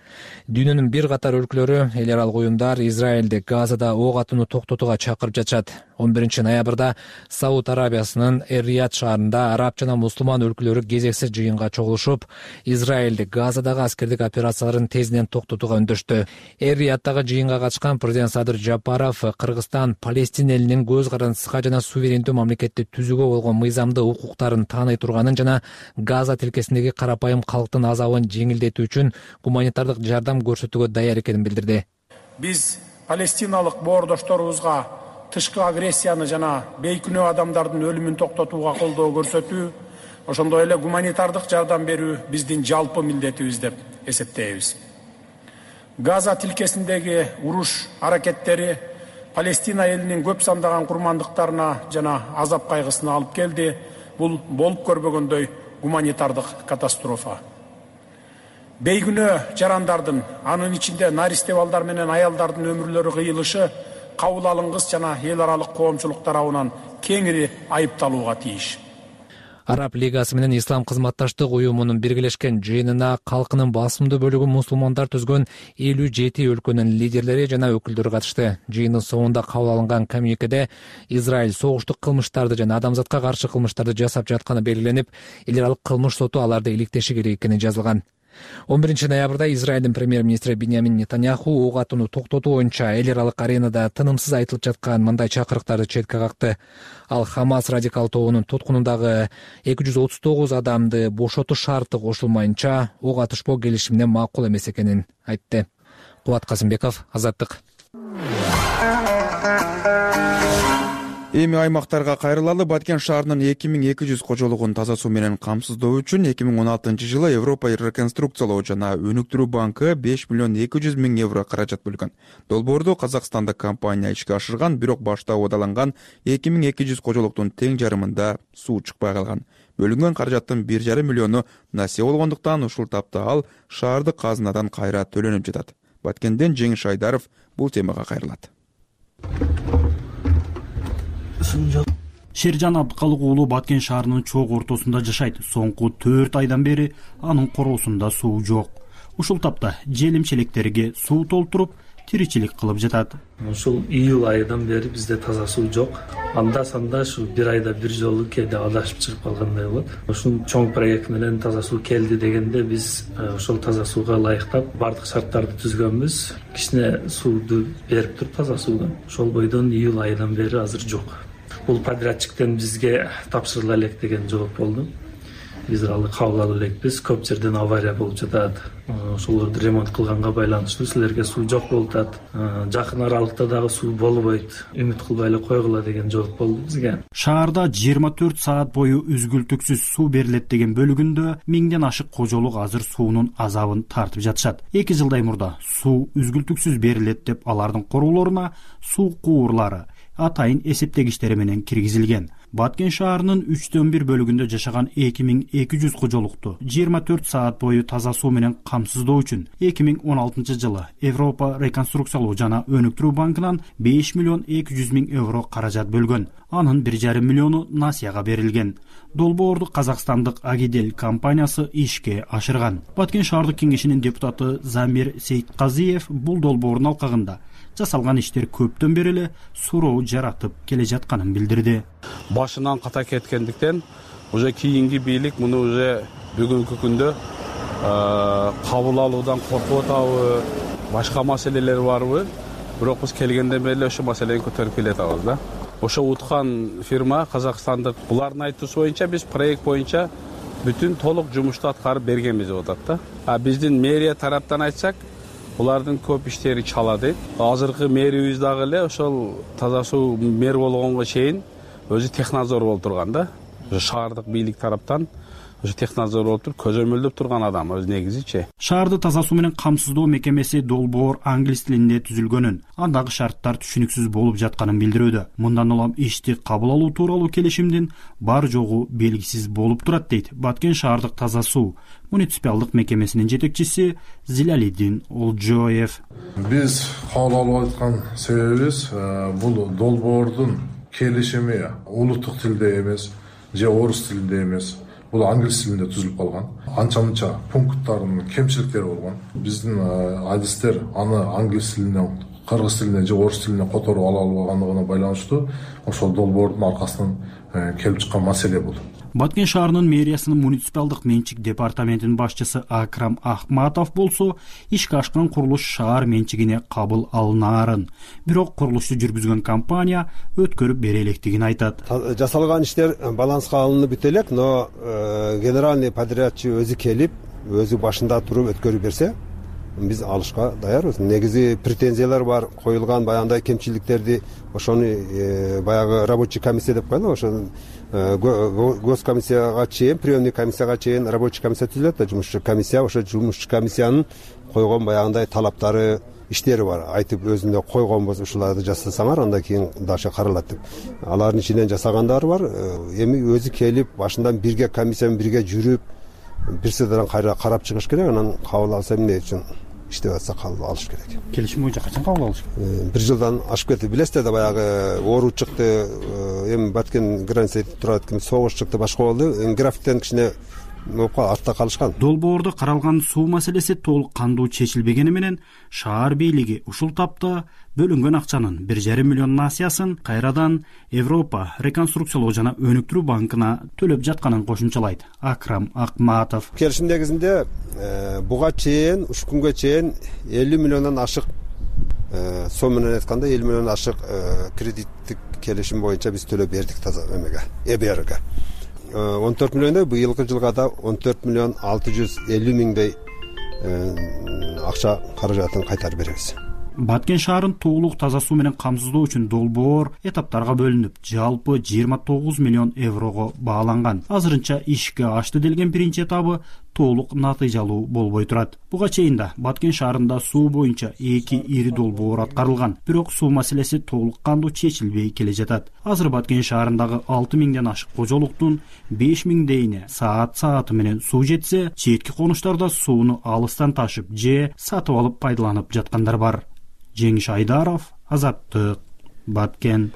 Дүйнөнүн бир катар өлкөлөрү, эл аралык уюмдар Израилди Газада ок атууну токтотууга чакырып жатышат. он биринчи ноябрда Сауд Арабиясынын Эр-Рияд шаарында араб жана мусулман өлкөлөрү кезексиз жыйынга чогулушуп, Израилди Газадагы аскердик операцияларын тезинен токтотууга үндөштү. Эр-Рияddагы жыйынга катышкан президент Садыр Жапаров Кыргызстан Палестина элинин көз карандыска жана суверендүү мамлекетти түзүүгө болгон мыйзамдуу укуктарын тааный турганын жана Газа тилкесиндеги карапайым калктын азабын жеңилдетүү үчүн гуманитардык жардам көрсөтүүгө даяр экенин билдирди. Биз палестиналык боордошторубузга тышкы агрессияны жана бейкүнөө адамдардын өлүмүн токтотууга колдоо көрсөтүү, ошондой эле гуманитардык жардам берүү биздин жалпы милдетибиз деп эсептейбиз. Газа тилкесиндеги уруш аракеттери Палестина элинин көп сандаган курмандыктарына жана азап кайгысына алып келди. Бул болуп көрбөгөндөй гуманитардык катастрофа. Бейкүнөө жарандардын, анын ичинде наристе балдар менен аялдардын өмүрлөрү кыйылышы кабыл алынгыс жана эл аралык коомчулук тарабынан кеңири айыпталууга тийиш. Араб лигасы менен Ислам кызматташтык уюмунун биргелешкен жыйынына калкынын басымдуу бөлүгү мусулмандар түзгөн элүү жети өлкөнүн лидерлери жана өкүлдөрү катышты. Жыйындын соңунда кабыл алынган коммюникеде Израиль согуштук кылмыштарды жана адамзатка каршы кылмыштарды жасап жатканы белгиленип, эл аралык кылмыш соту аларды иликтеши керек экени жазылган. он биринчи ноябрда Израилдин премьер-министри Биньямин Нетаньяху ок атууну токтотуу боюнча эл аралык аренада тынымсыз айтылып жаткан мындай чакырыктарды четке какты. Ал Хамас радикал тобунун туткунундагы эки жүз отуз тогуз адамды бошотуу шарты кошулмайынча ок атышпоо келишимине макул эмес экенин айтты. Кубат Казымбеков, Азаттык. Эми аймактарга кайрылалы. Баткен шаарынын эки миң эки жүз кожолугун таза суу менен камсыздоо үчүн эки миң он алтынчы жылы Европа реконструкциялоо жана өнүктүрүү банкы беш миллион эки жүз миң евро каражат бөлгөн. Долбоорду казакстандык компания ишке ашырган, бирок башта убадаланган эки миң эки жүз кожолуктун тең жарымында суу чыкпай калган. Бөлүнгөн каражаттын бир жарым миллиону насыя болгондуктан ушул тапта ал шаардык казынадан кайра төлөнүп жатат. Баткенден Жеңиш Айдаров бул темага кайрылат. Шержан Абдыкалык уулу Баткен шаарынын чоң ортосунда жашайт. Соңку төрт айдан бери анын короосунда суу жок. Ушул тапта желим челектерге суу толтуруп, тиричилик кылып жатат. Ушул июль айынан бери бизде таза суу жок. Анда санда ушу бир айда бир жолу кээде адашып чыгып калгандай болот. Ушул чоң проект менен таза суу келди дегенде биз ошол таза сууга ылайыктап бардык шарттарды түзгөнбүз. Кичине сууду берип туруп таза суудан. Ошол бойдон июль айынан бери азыр жок. Бул подрядчиктен бизге тапшырыла элек деген жооп болду. Биз алы кабыл ала элекпиз. Көп жерден авария болуп жатат. Ошолорду ремонт кылганга байланыштуу силерге суу жок болуп атат. Жакын аралыкта дагы суу болбойт. Үмүт кылбай эле койгула деген жооп болду бизге. Шаарда жыйырма төрт саат бою үзгүлтүксүз суу берилет деген бөлүгүндө миңден ашык кожолук азыр суунун азабын тартып жатышат. эки жылдай мурда суу үзгүлтүксүз берилет деп алардын короолоруна суу куурлары, атайын эсептегичтери менен киргизилген. Баткен шаарынын үчтөн бир бөлүгүндө жашаган эки миң эки жүз кожолукту жыйырма төрт саат бою таза суу менен камсыздоо үчүн эки миң он алтынчы жылы Европа реконструкциялоо жана өнүктүрүү банкынан беш миллион эки жүз миң евро каражат бөлгөн. Анын бир жарым миллиону насыяга берилген. Долбоорду казакстандык Агидель компаниясы ишке ашырган. Баткен шаардык кеңешинин депутаты Замир Сейитказиев бул долбоордун алкагында жасалган иштер көптөн бери эле суроо жаратып келе жатканын билдирди. Башынан ката кеткендиктен уже кийинки бийлик муну уже бүгүнкү күндө кабыл алуудан коркуп атабы, башка маселелер барбы? Бирок биз келгенден бери ошо маселени көтөрүп келатабыз да. Ошо уткан фирма казакстандык. Булардын айтуусу боюнча биз проект боюнча бүтүн толук жумушту аткарып бергенбиз деп атат да. А биздин мэрия тараптан айтсак, булардын көп иштери чала дейт. Азыркы мэрибиз дагы эле ошол таза суу мэр болгонго чейин өзү технадзор болуп турган да. Шаардык бийлик тараптан ошо технадзор болуп туруп көзөмөлдөп турган адам өз негизичи. Шаарды таза суу менен камсыздоо мекемеси долбоор англис тилинде түзүлгөнүн, андагы шарттар түшүнүксүз болуп жатканын билдирүүдө. Мындан улам ишти кабыл алуу тууралуу келишимдин бар жогу белгисиз болуп турат дейт Баткен шаардык таза суу муниципалдык мекемесинин жетекчиси Зилалидин Олжоев. Биз кабыл алып аткан себебибиз бул долбоордун келишими улуттук тилде эмес, же орус тилинде эмес. Бул англис тилинде түзүлүп калган. Анча-мынча пункттардын кемчиликтери болгон. Биздин адистер аны англис тилине, кыргыз тилине же орус тилине которуп ала албагандыгына байланыштуу ошол долбоордун аркасынан келип чыккан маселе бул. Баткен шаарынын мэриясынын муниципалдык менчик департаментинин башчысы Акрам Ахматов болсо ишке ашкан курулуш шаар менчигине кабыл алынаарын, бирок курулушту жүргүзгөн компания өткөрүп бере электигин айтат. Жасалган иштер баланска алынып бүтө элек, но генеральный подрядчы өзү келип, өзү башында туруп өткөрүп берсе, биз алышка даярбыз. Негизи претензиялар бар, коюлган баягындай кемчиликтерди ошону баягы рабочий комиссия деп коелу, ошо госкомиссияга чейин, приемный комиссияга чейин рабочий комиссия түзүлөт да, жумушчу комиссия, ошо жумушчу комиссиянын койгон баягындай талаптары, иштери бар. Айтып өзүндө койгонбуз, ушуларды жасасаңар, андан кийин дагы каралат деп. Алардын ичинен жасагандары бар. Эми өзү келип, башынан бирге комиссия менен бирге жүрүп, бир сыйдан кайра карап чыгыш керек, анан кабыл алса эмне үчүн иштеп атса кабыл алыш керек. Келишим боюнча качан кабыл алыш? Бир жылдан ашып кетти. Билесиздер да, баягы оору чыкты, эми Баткен границада турат, согуш чыкты, башка болду. Графиктен кичине артта калышкан. Долбоордо каралган суу маселеси толук кандуу чечилбегени менен шаар бийлиги ушул тапта бөлүнгөн акчанын бир жарым миллион насыясын кайрадан Европа реконструкциялоо жана өнүктүрүү банкына төлөп жатканын кошумчалайт Акрам Акматов. Келишим негизинде буга чейин, ушу күнгө чейин элүү миллиондон ашык сом менен айтканда элүү миллион ашык кредиттик келишим боюнча биз төлөп бердик таза эмеге, э бэ эрге. он төрт миллиондой, быйылкы жылга да он төрт миллион алты жүз элүү миңдей акча каражатын кайтарып беребиз. Баткен шаарын толук таза суу менен камсыздоо үчүн долбоор этаптарга бөлүнүп, жалпы жыйырма тогуз миллион еврого бааланган. Азырынча ишке ашты делген биринчи этабы толук натыйжалуу болбой турат. Буга чейин да Баткен шаарында суу боюнча эки ири долбоор аткарылган, бирок суу маселеси толук кандуу чечилбей келе жатат. Азыр Баткен шаарындагы алты миңден ашык кожолуктун беш миңдейине саат сааты менен суу жетсе, четки конуштарда сууну алыстан ташып же сатып алып пайдаланып жаткандар бар. Жеңиш Айдаров, Азаттык, Баткен.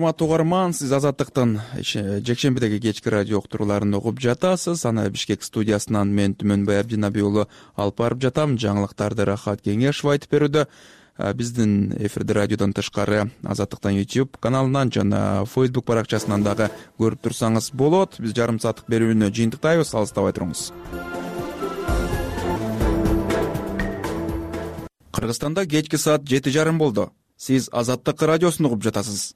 урматтуу угарман, сиз Азаттыктын жекшембидеги кечки радио уктурууларын угуп жатасыз. Аны Бишкек студиясынан мен Түмөнбай Абдинаби уулу алып барып жатам. Жаңылыктарды Рахат Кеңешова айтып берүүдө. Биздин эфирди радиодон тышкары Азаттыктын YouTube каналынан жана Facebook баракчасынан дагы көрүп турсаңыз болот. Биз жарым сааттык берүүнү жыйынтыктайбыз, алыстабай туруңуз. Кыргызстанда кечки саат жети жарым болду. Сиз Азаттык радиосун угуп жатасыз.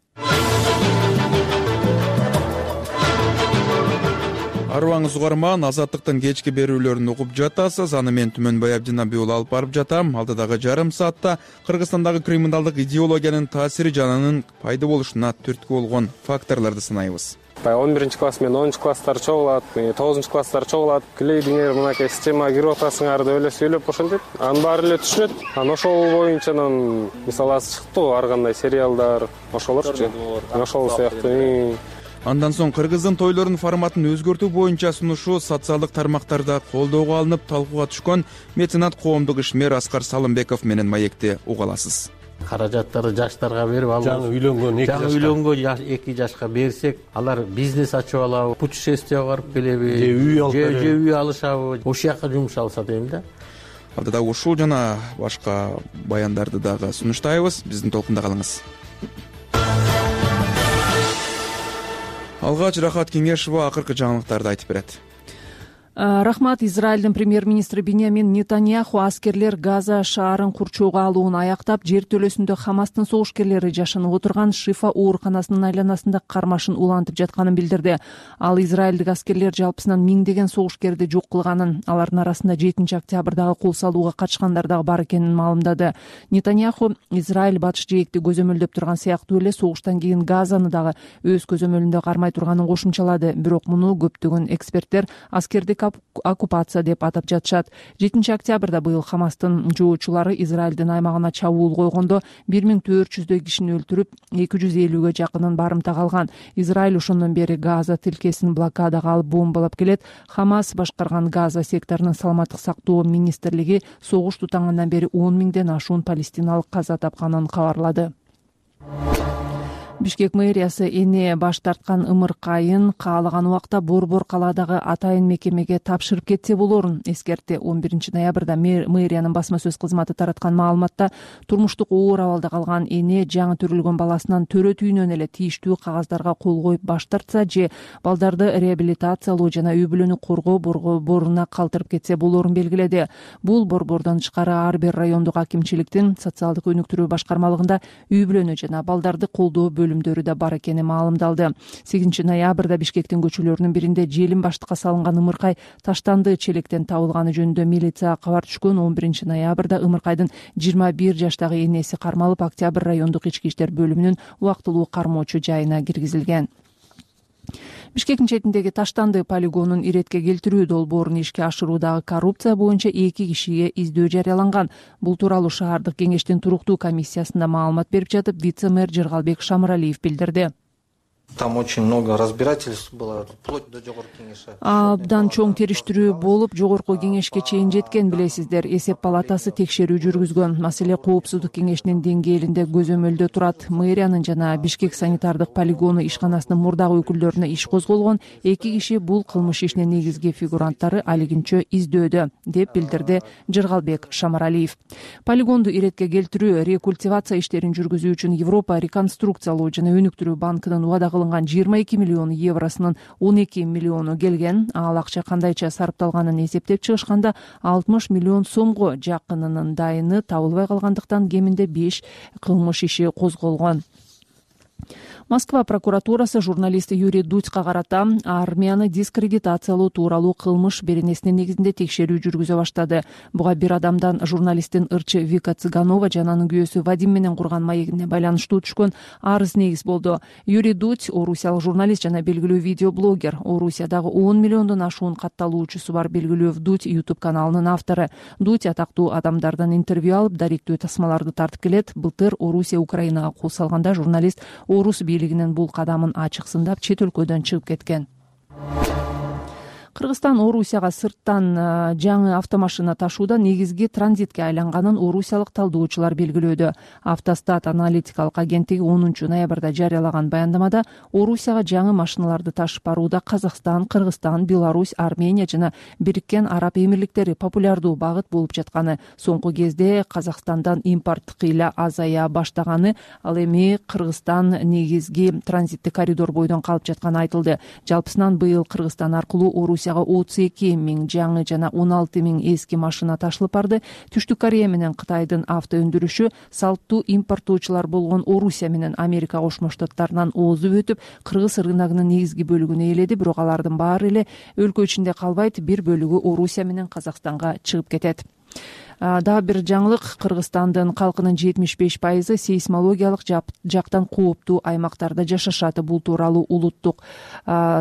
Арыбаңыз угарман, Азаттыктын кечки берүүлөрүн угуп жатасыз. Аны мен Түмөнбай Абдинаби уулу алып барып жатам. Алдыдагы жарым саатта Кыргызстандагы криминалдык идеологиянын таасири жана анын пайда болушуна түрткү болгон факторлорду санайбыз. он биринчи класс менен онунчу класстар чогулат, тогузунчу класстар чогулат. Клейдиңер мынакей системага кирип атасыңар деп эле сүйлөп ошентип, анын баары эле түшүнөт. Анан ошол боюнча анан мисалы азыр чыкты го ар кандай сериалдар, ошолорчу. Ошол сыяктуу. Андан соң кыргыздын тойлорунун форматын өзгөртүү боюнча сунушу социалдык тармактарда колдоого алынып талкууга түшкөн меценат коомдук ишмер Аскар Салымбеков менен маекти уга аласыз. Каражаттарды жаштарга берип алып, жаңы үйлөнгөн эки жашка, жаңы үйлөнгөн эки жашка берсек, алар бизнес ачып алабы, путешествияга барып келеби, же үй алып береби, же үй алышабы, ошол жака жумшалса дейм да. Алдыда ушул жана башка баяндарды дагы сунуштайбыз. Биздин толкунда калыңыз. Алгач Рахат Кеңешова акыркы жаңылыктарды айтып берет. Рахмат. Израилдин премьер-министри Биньямин Нетаньяху аскерлер Газа шаарын курчоого алууну аяктап, жер төлөсүндө Хамастын согушкерлери жашынып отурган Шифа ооруканасынын айланасында кармашын улантып жатканын билдирди. Ал израилдик аскерлер жалпысынан миңдеген согушкерди жок кылганын, алардын арасында жетинчи октябрдагы кол салууга катышкандар дагы бар экенин маалымдады. Нетаньяху Израиль батыш жээкти көзөмөлдөп турган сыяктуу эле согуштан кийин Газаны дагы өз көзөмөлүндө кармай турганын кошумчалады. Бирок муну көптөгөн эксперттер аскердик оккупация деп атап жатышат. жетинчи октябрда быйыл Хамастын жоочулары Израилдин аймагына чабуул койгондо бир миң төрт жүздөй кишини өлтүрүп, эки жүз элүүгө жакынын барымтага алган. Израиль ошондон бери Газа тилкесин блокадага алып бомбалап келет. Хамас башкарган Газа секторунун саламаттык сактоо министрлиги согуш тутангандан бери он миңден ашуун палестиналык каза тапканын кабарлады. Бишкек мэриясы эне баш тарткан ымыркайын каалаган убакта Борбор калаадагы атайын мекемеге тапшырып кетсе болорун эскертти. он биринчи ноябрда мэриянын басма сөз кызматы тараткан маалыматта турмуштук оор абалда калган эне жаңы төрөлгөн баласынан төрөт үйүнөн эле тийиштүү кагаздарга кол коюп баш тартса же балдарды реабилитациялоо жана үй бүлөнү коргоо борборуна калтырып кетсе болорун белгиледи. Бул борбордон тышкары ар бир райондук акимчиликтин социалдык өнүктүрүү башкармалыгында үй бүлөнү жана балдарды колдоо бөлүмдөрү да бар экени маалымдалды. сегизинчи ноябрда Бишкектин көчөлөрүнүн биринде желим баштыкка салынган ымыркай таштанды челектен табылганы жөнүндө милицияга кабар түшкөн. он биринчи ноябрда ымыркайдын жыйырма бир жаштагы энеси кармалып, Октябрь райондук ички иштер бөлүмүнүн убактылуу кармоочу жайына киргизилген. Бишкектин четиндеги Таштанды полигонун иретке келтирүү долбоорун ишке ашыруудагы коррупция боюнча эки кишиге издөө жарыяланган. Бул тууралуу шаардык кеңештин туруктуу комиссиясында маалымат берип жатып, вице-мэр Жыргалбек Шамыралиев билдирди. Там очень много разбирательств было, вплоть до жогорку кеңеши. Абдан чоң териштирүү болуп, жогорку кеңешке чейин жеткен, билесиздер. Эсеп палатасы текшерүү жүргүзгөн. Маселе коопсуздук кеңешинин деңгээлинде көзөмөлдө турат. Мэриянын жана Бишкек санитардык полигону ишканасынын мурдагы өкүлдөрүнө иш козголгон. Эки киши бул кылмыш ишинин негизги фигуранттары алигинчө издөөдө, деп билдирди Жыргалбек Шамыралиев. Полигонду иретке келтирүү, рекультивация иштерин жүргүзүү үчүн Европа реконструкциялоо жана өнүктүрүү банкынын убада кылынган жыйырма эки миллион евросунун он эки миллиону келген. Ал акча кандайча сарпталганын эсептеп чыгышканда алтымыш миллион сомго жакынынын дайыны табылбай калгандыктан кеминде беш кылмыш иши козголгон. Москва прокуратурасы журналист Юрий Дудька карата армияны дискредитациялоо тууралуу кылмыш беренесинин негизинде текшерүү жүргүзө баштады. Буга бир адамдан журналисттин ырчы Вика Цыганова жана анын күйөөсү Вадим менен курган маегине байланыштуу түшкөн арыз негиз болду. Юрий Дудь орусиялык журналист жана белгилүү видеоблогер. Орусиядагы он миллиондон ашуун катталуучусу бар белгилүү Дудь YouTube каналынын автору. Дудь атактуу адамдардан интервью алып, даректүү тасмаларды тартып келет. Былтыр Орусия Украинага кол салганда журналист орус бийлигинин бул кадамын ачык сындап, чет өлкөдөн чыгып кеткен. Кыргызстан Орусияга сырттан жаңы автомашина ташууда негизги транзитке айланганын орусиялык талдоочулар белгилөөдө. Автостат аналитикалык агенттиги онунчу ноябрда жарыялаган баяндамада Орусияга жаңы машиналарды ташып барууда Казакстан, Кыргызстан, Беларусь, Армения жана Бириккен Араб Эмирликтери популярдуу багыт болуп жатканы, соңку кезде Казакстандан импорт кыйла азая баштаганы, ал эми Кыргызстан негизги транзиттик коридор бойдон калып жатканы айтылды. Жалпысынан быйыл Кыргызстан аркылуу Орусияга отуз эки миң жаңы жана он алты миң эски машина ташылып барды. Түштүк Корея менен Кытайдын авто өндүрүшү салттуу импорттоочулар болгон Орусия менен Америка Кошмо Штаттарынан оозуп өтүп, кыргыз рыногунун негизги бөлүгүн ээледи, бирок алардын баары эле өлкө ичинде калбайт, бир бөлүгү Орусия менен Казакстанга чыгып кетет. Дагы бир жаңылык, Кыргызстандын калкынын жетимиш беш пайызы сейсмологиялык жактан кооптуу аймактарда жашашат. Бул тууралуу улуттук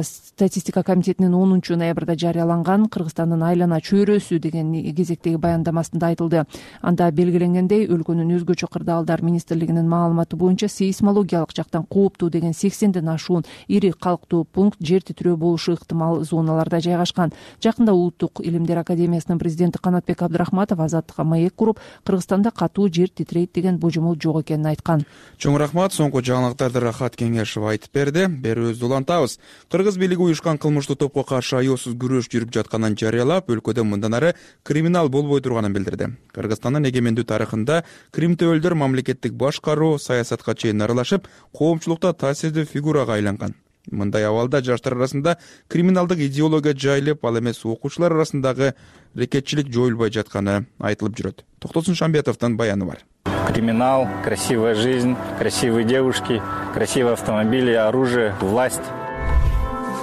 статистика комитетинин онунчу ноябрда жарыяланган Кыргызстандын айлана чөйрөсү деген кезектеги баяндамасында айтылды. Анда белгиленгендей, өлкөнүн өзгөчө кырдаалдар министрлигинин маалыматы боюнча сейсмологиялык жактан кооптуу деген сексенден ашуун ири калктуу пункт жер титирөө болушу ыктымал зоналарда жайгашкан. Жакында Улуттук илимдер академиясынын президенти Канатбек Абдрахматов азаттыкка маек куруп, Кыргызстанда катуу жер титирейт деген божомол жок экенин айткан. Чоң рахмат. Соңку жаңылыктарды Рахат Кеңешов айтып берди. Берүүбүздү улантабыз. Кыргыз бийлиги уюшкан кылмыштуу топко каршы аяосуз күрөш жүрүп жатканын жарыялап, өлкөдө мындан ары криминал болбой турганын билдирди. Кыргызстандын эгемендүү тарыхында крим төбөлдөр мамлекеттик башкаруу, саясатка чейин аралашып, коомчулукта таасирдүү фигурага айланган. Мындай абалда жаштар арасында криминалдык идеология жайылып, ал эмес окуучулар арасындагы рекетчилик жоюлбой жатканы айтылып жүрөт. Токтосун Шамбетовдун баяны бар. Криминал, красивая жизнь, красивые девушки, красивые автомобили, оружие, власть.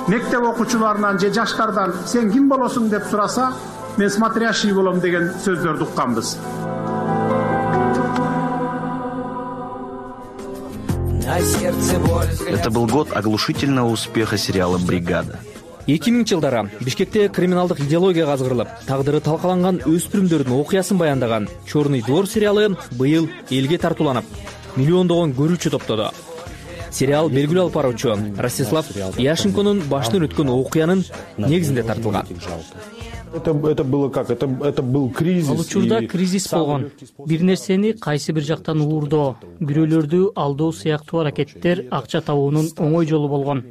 Мектеп окуучуларынан же жаштардан сен ким болосуң деп сураса, мен смотрящий болом деген сөздөрдү укканбыз. Это был год оглушительного успеха сериала «Бригада». эки миңинчи жылдары Бишкекте криминалдык идеологияга азгырылып, тагдыры талкаланган өспүрүмдөрдүн окуясын баяндаган «Чёрный двор» сериалы быйыл элге тартууланып, миллиондогон көрүүчү топтоду. Сериал белгилүү алып баруучу Ростислав Яшенконун башынан өткөн окуянын негизинде тартылган. Это, это было как? Это, это был кризис. Ал учурда кризис болгон. Бир нерсени кайсы бир жактан уурдоо, бирөөлөрдү алдоо сыяктуу аракеттер акча табуунун оңой жолу болгон.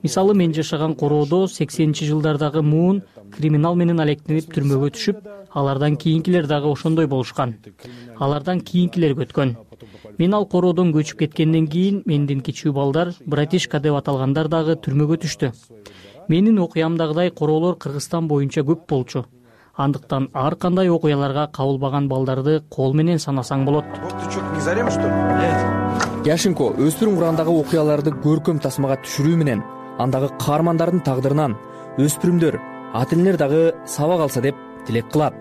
Мисалы, мен жашаган короодо сексенинчи жылдардагы муун криминал менен алектенип түрмөгө түшүп, алардан кийинкилер дагы ошондой болушкан. Алардан кийинкилер өткөн. Мен ал короодон көчүп кеткенден кийин менден кичүү балдар, братишка деп аталгандар дагы түрмөгө түштү. Менин окуямдагыдай короолор Кыргызстан боюнча көп болчу. Андыктан ар кандай окуяларга кабылбаган балдарды кол менен санасаң болот. Яшенко өспүрүм курагындагы окуяларды көркөм тасмага түшүрүү менен андагы каармандардын тагдырынан өспүрүмдөр, ата энелер дагы сабак алса деп тилек кылат.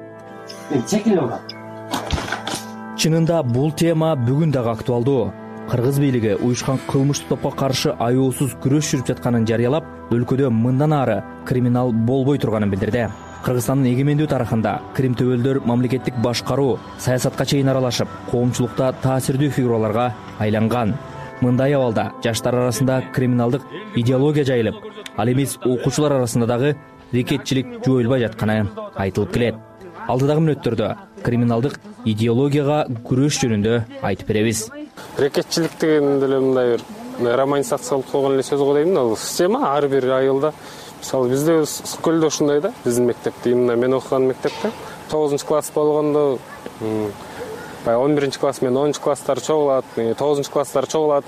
Чынында бул тема бүгүн дагы актуалдуу. Кыргыз бийлиги уюшкан кылмыштуу топко каршы аяосуз күрөш жүрүп жатканын жарыялап, өлкөдө мындан ары криминал болбой турганын билдирди. Кыргызстандын эгемендүү тарыхында крим төбөлдөр мамлекеттик башкаруу, саясатка чейин аралашып, коомчулукта таасирдүү фигураларга айланган. Мындай абалда жаштар арасында криминалдык идеология жайылып, ал эмес окуучулар арасында дагы рекетчилик жоюлбай жатканы айтылып келет. Алдыдагы мүнөттөрдө криминалдык идеологияга күрөш жөнүндө айтып беребиз. Рекетчилик деген деле мындай бир романизациялык болгон эле сөз го дейм. Ал система ар бир айылда, мисалы бизде Көлдө ушундай да, биздин мектепте, именно мен окуган мектепте тогузунчу класс болгондо, баягы он биринчи класс менен онунчу класстар чогулат, тогузунчу класстар чогулат.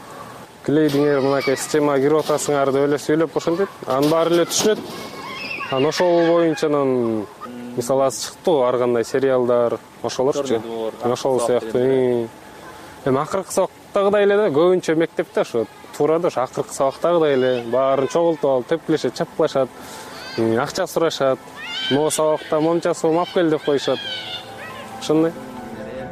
Клейдиңер мынакей системага кирип атасыңар деп эле сүйлөп ошентип, анын баары эле түшүнөт. Анан ошол боюнча мисалы аз чыкты ар кандай сериалдар, ошолорчу. Ошол сыяктуу. Эми акыркы сабактагыдай эле да, көбүнчө мектепте ошо туура да, ошо акыркы сабактагыдай эле баарын чогултуп алып, тепкилешет, чапкылашат, акча сурашат, могу сабакта момчасы алып кел деп коюшат. Ошондой.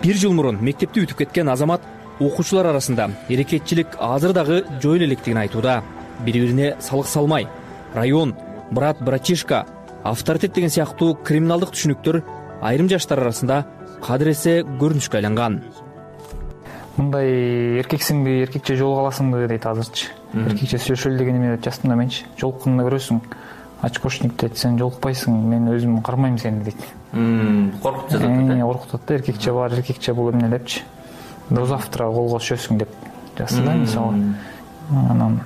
Бир жыл мурун мектепти бүтүп кеткен азамат окуучулар арасында эрекетчилик азыр дагы жоюла электигин айтууда. Бири-бирине салык салмай, район, брат, братишка, авторитет деген сыяктуу криминалдык түшүнүктөр айрым жаштар арасында кадыресе көрүнүшкө айланган. Мындай эркексиңби, эркекче жолуга аласыңбы дейт азырчы. Эркекче сүйлөшөлү деген эме жаздым да менчи. Жолукканда көрөсүң. очкошник дейт, сен жолукпайсың, мен өзүм кармайм сени дейт. Коркуп жатат да. Коркутат да, эркекче бар, эркекче бул эмне депчи. До завтра колго түшөсүң деп жазса да, мисалы. Анан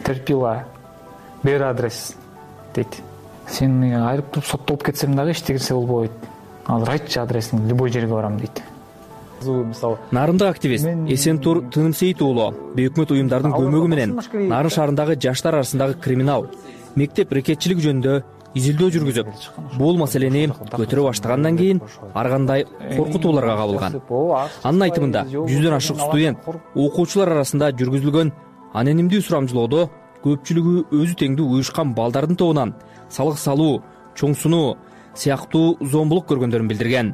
терпила, бер адрес дейт. Сен айрып соттолуп кетсем дагы эчтегисе болбойт. Азыр айтчы адресин, любой жерге барам дейт. Нарындык активист Эсентур Тынымсейит уулу бейөкмөт уюмдардын көмөгү менен Нарын шаарындагы жаштар арасындагы криминал, мектеп рекетчилиги жөнүндө изилдөө жүргүзүп, бул маселени көтөрө баштагандан кийин ар кандай коркутууларга кабылган. Анын айтымында жүздөн ашык студент, окуучулар арасында жүргүзүлгөн анонимдүү сурамжылоодо көпчүлүгү өзү теңдүү уюшкан балдардын тобунан салык салуу, чоң сунуу сыяктуу зомбулук көргөндөрүн билдирген.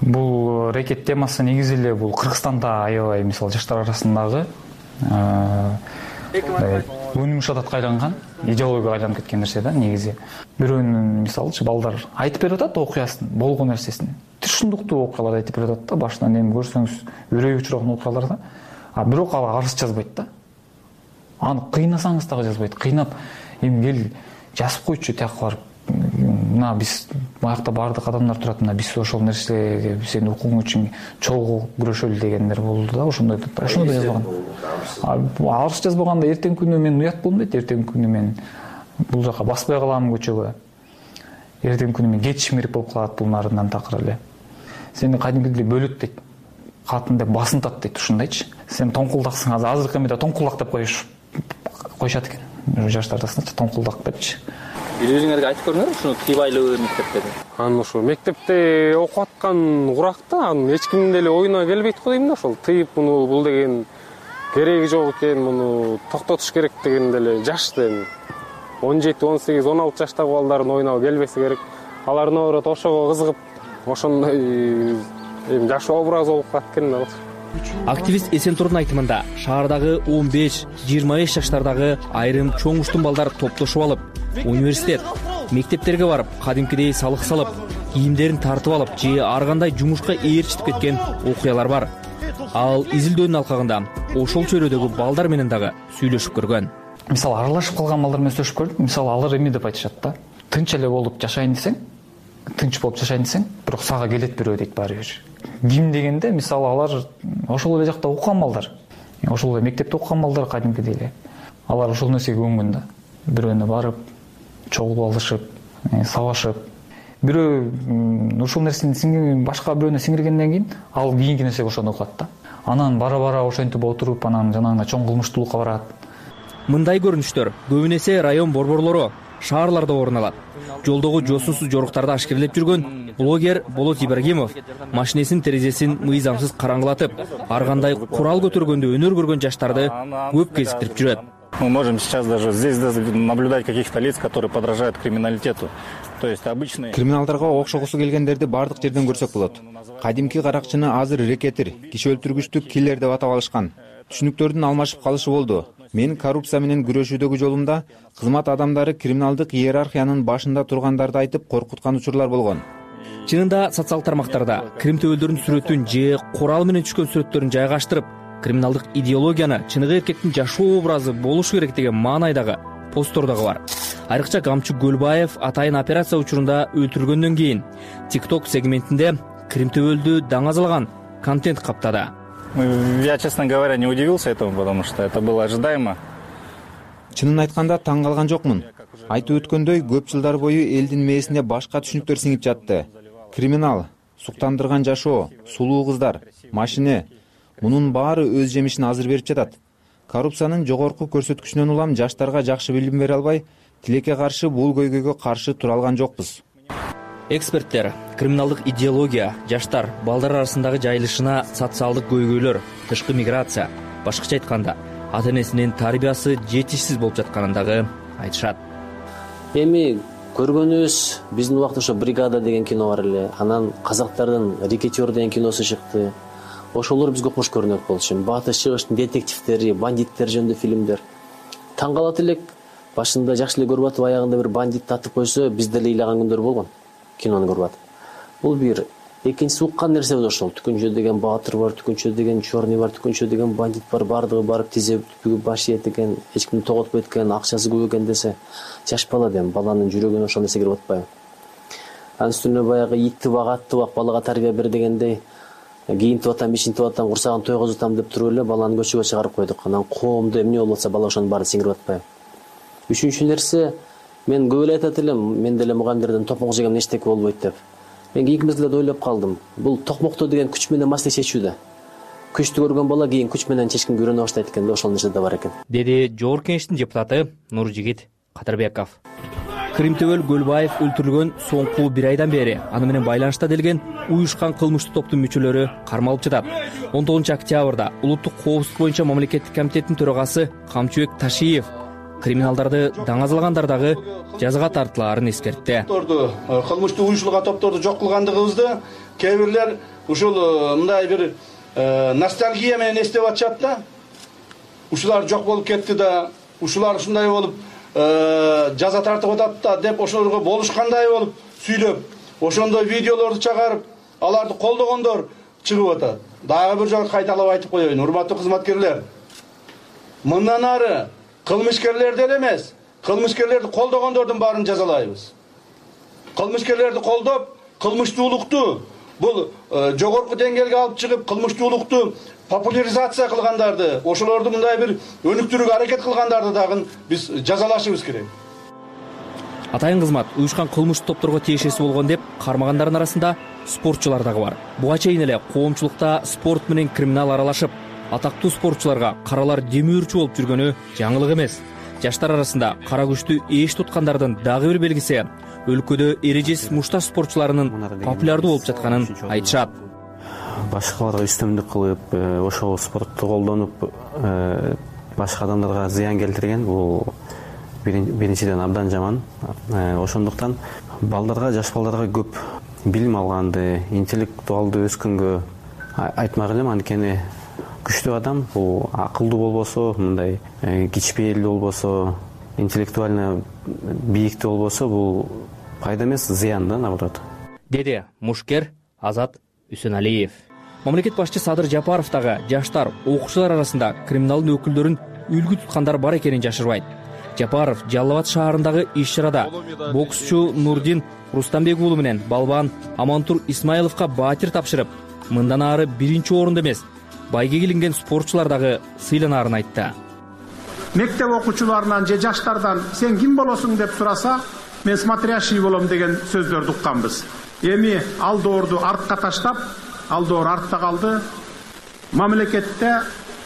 Бул рекет темасы негизи эле бул Кыргызстанда аябай, мисалы, жаштар арасындагы өнүгүш адатка айланган, идеологияга айланып кеткен нерсе да негизи. Бирөөнүн, мисалычы, балдар айтып берип атат окуясын, болгон нерсесин. Түшүндүктүү окуяларды айтып берип атат да, башынан эми көрсөңүз үрөй учураган окуялар да. А бирок ал арыз жазбайт да. Аны кыйнасаңыз дагы жазбайт. Кыйнап, эми кел жазып койчу тияка барып. Мына биз баягыда баардык адамдар турат, мына биз ошол нерсеге сенин укугуң үчүн чогуу күрөшөлү дегендер болду да, ошондой да. Ошондо да жазбаган. Арыз жазбаганда эртең күнү мен уят болом дейт, эртең күнү мен бул жака баспай калам көчөгө. Эртең күнү мен кеч мирип болуп калат бул нарындан такыр эле. Сени кайдымкыдей бөлөт дейт. Катын деп басынтат дейт, ушундайчы. Сен тоңкулдаксың, азыркы эмеде тоңкулдак деп коюш коюшат экен. Жаштар арасында тоңкулдак депчи. Бир өзүңөргө айтып көрүңөр, ушуну тыйбайлуу мектепте. Аны ошо мектепте окуп аткан уракта аны эч кимдин деле оюна келбейт го дейм да, ошол тыйып муну бул деген кереги жок экен, муну токтотуш керек деген деле жаш эми. он жети, он сегиз, он алты жаштагы балдардын оюна келбесе керек. Алар наоборот ошого кызыгып, ошондой эми жаш образ болуп калат экен да. Активист Эсентурдун айтымында шаардагы он беш жыйырма беш жаштардагы айрым чоң уштун балдар топтошуп алып, университет, мектептерге барып, кадимкидей салык салып, кийимдерин тартып алып, же ар кандай жумушка ээрчитип кеткен окуялар бар. Ал изилдөөнүн алкагында ошол чөйрөдөгү балдар менен дагы сүйлөшүп көргөн. Мисалы, аралашып калган балдар менен сүйлөшүп көрдүм. Мисалы, алар эме деп айтышат да. Тынч эле болуп жашайын десең, тынч болуп жашайын десең, бирок сага келет бирөө дейт баары бир. Ким дегенде, мисалы, алар ошол эле жакта окуган балдар. Ошол эле мектепте окуган балдар кадимкидей эле. Алар ошол нерсеге көнгөн да. Бирөөнө барып, чогулуп алышып, сабашып. Бирөө ушул нерсени сиңирген, башка бирөөнө сиңиргенден кийин ал кийинки нерсеге ошондо кылат да. Анан бара-бара ошентип отуруп, анан жанагындай чоң кылмыштуулукка барат. Мындай көрүнүштөр көбүнесе район борборлору, шаарларда орун алат. Жолдогу жосунсуз жоруктарды ашкерлеп жүргөн блогер Болот Ибрагимов машинесинин терезесин мыйзамсыз караңгылатып, ар кандай курал көтөргөндө өнөр көргөн жаштарды көп кезиктирип жүрөт. Мы можем сейчас даже здесь наблюдать каких-то лиц, которые подражают криминалитету. То есть обычные... Криминалдарга окшогусу келгендерди бардык жерден көрсөк болот. Кадимки каракчыны азыр рекетир, киши өлтүргүчтүк киллер деп атап алышкан. Түшүнүктөрдүн алмашып калышы болду. Мен коррупция менен күрөшүүдөгү жолумда кызмат адамдары криминалдык иерархиянын башында тургандарды айтып коркуткан учурлар болгон. Чынында социалдык тармактарда крим төбөлдөрүнүн сүрөтүн же курал менен түшкөн сүрөттөрүн жайгаштырып, криминалдык идеологияны чыныгы эркектин жашоо образы болушу керек деген маанайдагы посттор дагы бар. Айрыкча Камчы Гөлбаев атайын операция учурунда өлтүрүлгөндөн кийин TikTok сегментинде крим төбөлдү даңазалаган контент каптады. Я, честно говоря, не удивился этому, потому что это было ожидаемо. Чынын айтканда таң калган жокмун. Айтып өткөндөй, көп жылдар бою элдин мээсине башка түшүнүктөр сиңип жатты. Криминал, суктандырган жашоо, сулуу кыздар, машине, мунун баары өз жемишин азыр берип жатат. Коррупциянын жогорку көрсөткүчүнөн улам жаштарга жакшы билим бере албай, тилекке каршы бул көйгөйгө каршы тура алган жокпуз. Эксперттер криминалдык идеология жаштар, балдар арасындагы жайылышына социалдык көйгөйлөр, тышкы миграция, башкача айтканда, ата-энесинин тарбиясы жетишсиз болуп жатканын дагы айтышат. Эми көргөнүбүз биздин убакта ошо «Бригада» деген кино бар эле, анан казактардын «Рекетер» деген киносу чыкты. Ошолор бизге кош көрүнөт болчу. Батыш чыгыштын детективдери, бандиттер жөнүндө фильмдер. Таң калат элек, башында жакшы эле көрүп атып, аягында бир бандит татып койсо, биз деле ыйлаган күндөр болгон. Кинону көрүп атып. Бул бир экинчиси уккан нерсебиз ошол. Түкүнчө деген баатыр бар, Түкүнчө деген чорный бар, Түкүнчө деген бандит бар, баардыгы барып тизе бүгүп баш ийет экен, эч кимди тоготпойт экен, акчасы көп экен десе, жаш бала дем, баланын жүрөгүнө ошол нерсе кирип атпайбы. Анын үстүнө баягы итти бак, атты бак, балага тарбия бер дегендей, кийинтип атам, ичинтип атам, курсагын тойгозуп атам деп туруп эле баланы көчөгө чыгарып койдук. Анан коомдо эмне болуп атса бала ошонун баары сиңирип атпайбы. Үчүнчү нерсе, мен көп эле айтат элем, мен деле мугалимдерден токмок жегем эчтеке болбойт деп. Мен кийинки мезгилде ойлоп калдым. Бул токмоктоо деген күч менен маселе чечүү да. Күчтү көргөн бала кийин күч менен чечкенге үйрөнө баштайт экен да, ошол нерсе да бар экен. Деди Жогорку Кеңештин депутаты Нуржигит Кадырбеков. Кыримтөбөл Көлбаев өлтүрүлгөн соңку бир айдан бери аны менен байланышта делген уюшкан кылмыштуу топтун мүчөлөрү кармалып жатат. он тогузунчу октябрда Улуттук коопсуздук боюнча мамлекеттик комитеттин төрагасы Камчыбек Ташиев криминалдарды даңазалагандар дагы жазага тартылаарын эскертти. Кылмыштуу уюшулган топторду жок кылгандыгыбызды кээ бирлер ушул мындай бир ностальгия менен эстеп атышат да. Ушулар жок болуп кетти да, ушулар ушундай болуп жаза тартып атат да деп ошолорго болушкандай болуп сүйлөп, ошондой видеолорду чыгарып, аларды колдогондор чыгып атат. Дагы бир жолу кайталап айтып коеюн, урматтуу кызматкерлер. Мындан ары кылмышкерлерди эле эмес, кылмышкерлерди колдогондордун баарын жазалайбыз. Кылмышкерлерди колдоп, кылмыштуулукту бул жогорку деңгээлге алып чыгып, кылмыштуулукту популяризация кылгандарды, ошолорду мындай бир өнүктүрүүгө аракет кылгандарды дагы биз жазалашыбыз керек. Атайын кызмат уюшкан кылмыштуу топторго тиешеси болгон деп кармагандардын арасында спортчулар дагы бар. Буга чейин эле коомчулукта спорт менен криминал аралашып, атактуу спортчуларга каралар демөөрчү болуп жүргөнү жаңылык эмес. Жаштар арасында кара күчтү эш туткандардын дагы бир белгиси өлкөдө эрежесиз мушташ спортчуларынын популярдуу болуп жатканын айтышат. Башкаларга үстөмдүк кылып, ошол спортту колдонуп, башка адамдарга зыян келтирген бул биринчиден абдан жаман. Ошондуктан балдарга, жаш балдарга көп билим алганды, интеллектуалдуу өскөнгө айтмак элем, анткени күчтүү адам бул акылдуу болбосо, мындай кичпейилдүү болбосо, интеллектуально бийиктүү болбосо, бул пайда эмес, зыян да, наоборот. Деди мушкер Азат Үсөналиев. Мамлекет башчы Садыр Жапаров дагы жаштар, окуучулар арасында криминалдын өкүлдөрүн үлгү туткандар бар экенин жашырбайт. Жапаров Жалал Абад шаарындагы иш-чарада боксчу Нурдин Рустамбек уулу менен балбан Амантур Исмаиловго баатир тапшырып, мындан ары биринчи орунда эмес, байге килинген спортчулар дагы сыйланаарын айтты. Мектеп окуучуларынан же жаштардан сен ким болосуң деп сураса, мен смотрящий болом деген сөздөрдү укканбыз. Эми ал доорду артка таштап, ал доор артта калды. Мамлекетте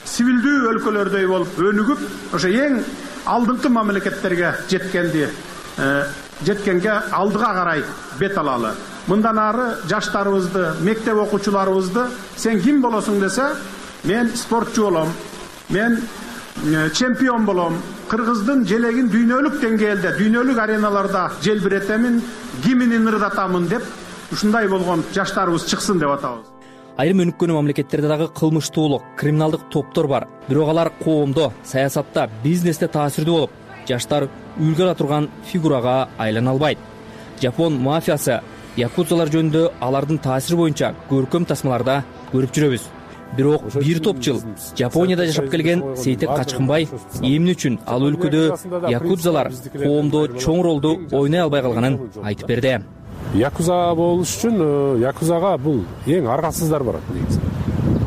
сивилдүү өлкөлөрдөй болуп өнүгүп, ошо эң алдыңкы мамлекеттерге жеткенди, жеткенге алдыга карай бет алалы. Мындан ары жаштарыбызды, мектеп окуучуларыбызды сен ким болосуң десе, мен спортчу болом, мен чемпион болом, Кыргыздын желегин дүйнөлүк деңгээлде, дүйнөлүк ареналарда желбиретемин, гимнин ырдатамын деп, ушундай болгон жаштарыбыз чыксын деп атабыз. Айрым өнүккөн мамлекеттерде дагы кылмыштуулук, криминалдык топтор бар. Бирок алар коомдо, саясатта, бизнесте таасирдүү болуп, жаштар үлгү ала турган фигурага айлана албайт. Жапон мафиясы, якудзалар жөнүндө алардын таасири боюнча көркөм тасмаларда көрүп жүрөбүз. Бирок бир топ жыл Жапонияда жашап келген Сейтек Качкынбай эмне үчүн ал өлкөдө якудзалар коомдо чоң ролду ойной албай калганын айтып берди. Якуза болуш үчүн якузага бул эң аргасыздар барат негизи.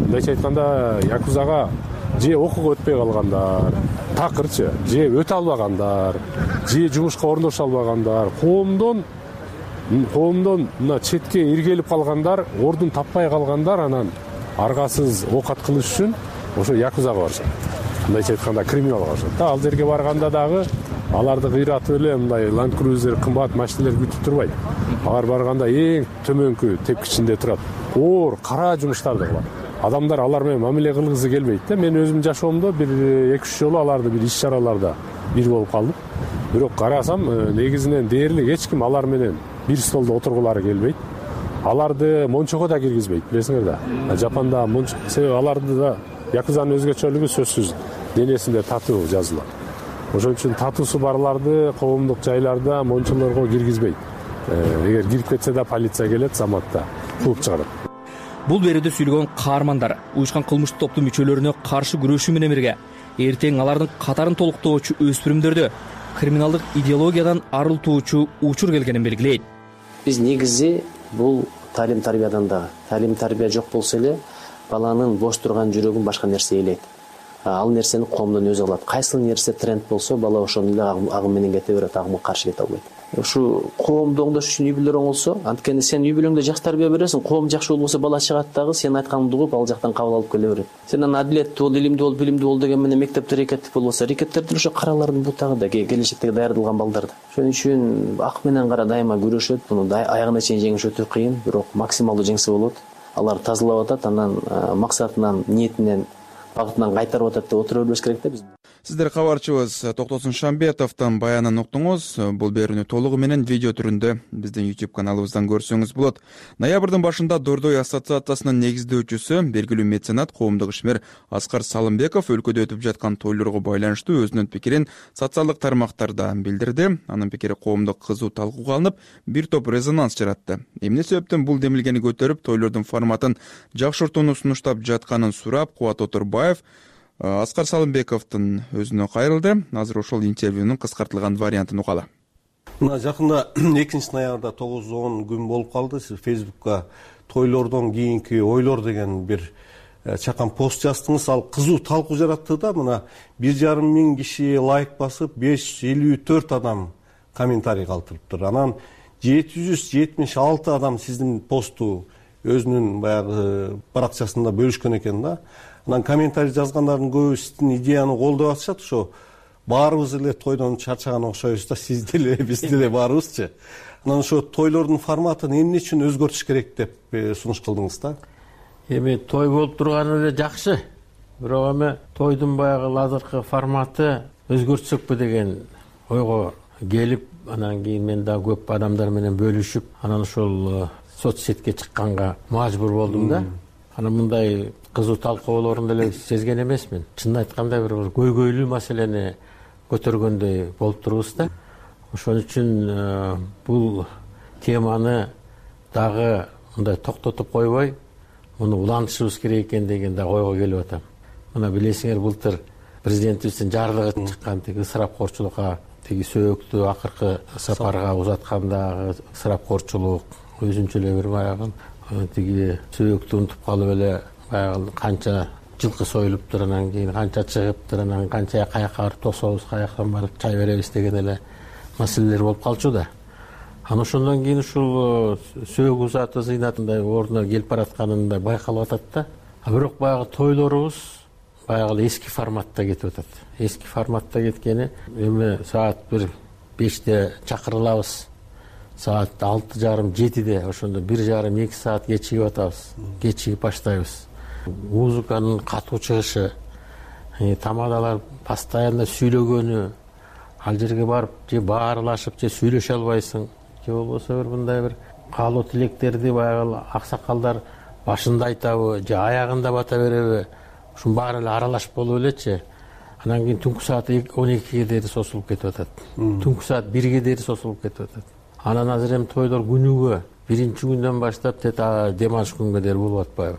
Мындайча айтканда, якузага же окууга өтпөй калгандар, такырчы, же өтө албагандар, же жумушка орношо албагандар, коомдон коомдон мына четке иргелип калгандар, ордун таппай калгандар, анан аргасыз оокат кылыш үчүн ошо якузага барышат. Мындайча айтканда криминалга барышат. Ал жерге барганда дагы аларды кыйратып эле мындай Land Cruiser, кымбат машиналар күтүп турбайт. Алар барганда эң төмөнкү тепкичинде турат. Оор, кара жумуштарды кылат. Адамдар алар менен мамиле кылгысы келбейт да. Мен өзүм жашоомдо бир эки үч жолу аларды бир иш-чараларда бир болуп калдым. Бирок карасам, негизинен дээрлик эч ким алар менен бир столдо отургулары келбейт. Аларды мончого да киргизбейт, билесиңер да. Жапанда мончо, себеби аларды да якузанын өзгөчөлүгү сөзсүз денесинде татуу жазылат. Ошон үчүн татуусу барларды коомдук жайларда мончолорго киргизбейт. Эгер кирип кетсе да полиция келет, заматта. кууп чыгарат. Бул берүүдө сүйлөгөн каармандар уюшкан кылмыштык топтун мүчөлөрүнө каршы күрөшүү менен бирге эртең алардын катарын толуктоочу өспүрүмдөрдө криминалдык идеологиядан арылтуучу учур келгенин белгилейт. Биз негизи бул талим тарбиядан дагы талим тарбия жок болсо эле баланын бош турган жүрөгүн башка нерсе ээлейт. Ал нерсени коомдон өзү алат. Кайсы нерсе тренд болсо бала ошону эле агым менен кете берет, агымга каршы кете албайт. Ушу коомду оңдош үчүн үй бүлөлөр оңолсо, анткени сен үй бүлөңдө жакшы тарбия бересиң, коом жакшы болбосо бала чыгат дагы сен айтканыңды угуп ал жактан кабыл алып келе берет. Сен аны адилеттүү бол, илимдүү бол, билимдүү бол деген менен мектепте рекеттик болбосо, рекеттер деле ошо каралардын бутагы да, келечектеги даярдалган балдар да. Ошон үчүн ак менен кара дайыма күрөшөт. Муну аягына чейин жеңиш өтө кыйын, бирок максималдуу жеңсе болот. Алар тазалап атат, анан максатынан, ниетинен, багытынан кайтарып атат деп отура бербеш керек да биз. Сиздер кабарчыбыз Токтосун Шамбетовдон баянын уктуңуз. Бул берүүнү толугу менен видео түрүндө биздин YouTube каналыбыздан көрсөңүз болот. Ноябрдын башында Дордой ассоциациясынын негиздөөчүсү, белгилүү меценат, коомдук ишмер Аскар Салымбеков өлкөдө өтүп жаткан тойлорго байланыштуу өзүнүн пикирин социалдык тармактарда билдирди. Анын пикири коомдук кызуу талкууга алынып, бир топ резонанс жаратты. Эмне себептен бул демилгени көтөрүп, тойлордун форматын жакшыртууну сунуштап жатканын сурап, Кубат Отурбаев Аскар Салымбековдун өзүнө кайрылды. Азыр ошол интервьюнун кыскартылган вариантын угалы. Мына жакында экинчи ноябрда тогуз он күн болуп калды. Сиз Фейсбукка тойлордон кийинки ойлор деген бир чакан пост жаздыңыз. Ал кызуу талкуу жаратты да. Мына бир жарым миң киши лайк басып, беш жүз элүү төрт адам комментарий калтырыптыр. Анан жети жүз жетимиш алты адам сиздин посту өзүнүн баягы баракчасында бөлүшкөн экен да. Анан комментарий жазгандардын көбү сиздин идеяны колдоп атышат. Ошо баарыбыз эле тойдон чарчаган окшойбуз да, сиз деле, биз деле баарыбызчы. Анан ошо тойлордун форматын эмне үчүн өзгөртүш керек деп сунуш кылдыңыз да? Эми той болуп турганы эле жакшы. Бирок эми тойдун баягы азыркы форматы өзгөртсөкпү деген ойго келип, анан кийин мен дагы көп адамдар менен бөлүшүп, анан ошол соц сетке чыкканга мажбур болдум да. Анан мындай кызуу талкуулорун деле сезген эмесмин. Чынын айтканда бир көйгөйлүү маселени көтөргөндөй болуп турбуз да. Ошон үчүн бул теманы дагы мындай токтотуп койбой, муну улантышыбыз керек экен деген да ойго келип атам. Мына билесиңер, былтыр президентибиздин жарлыгы чыккан, тиги ысырапкорчулукка, тиги сөөктү акыркы сапарга узаткандагы ысырапкорчулук, өзүнчө эле бир баягы тиги сөөктү унутуп калып эле баягы канча жылкы союлуптур, анан кийин канча чыгыптыр, анан канча каяка барып тособуз, каяктан барып чай беребиз деген эле маселелер болуп калчу да. Анан ошондон кийин ушул сөөгү узаты зыйнатындай ордуна келип баратканында байкалып атат да. А бирок баягы тойлорубуз баягы эски форматта кетип атат. Эски форматта кеткени эми саат бир беште чакырылабыз. Саат алты жарым жетиде ошондо бир жарым эки саат кечигип атабыз. Кечигип баштайбыз. Музыканын катуу чыгышы, тамадалар постоянно сүйлөгөнү, ал жерге барып же баарылашып же сүйлөшө албайсың, же болбосо бир мындай бир каалоо тилектерди баягы аксакалдар башында айтабы же аягында бата береби, ушунун баары эле аралашып болуп элечи. Анан кийин түнкү саат он экиге дейин созулуп кетип атат. Түнкү саат бирге дейин созулуп кетип атат. Анан азыр эми тойлор күнүгө биринчи күндөн баштап тет дем алыш күнгө дейин болуп атпайбы?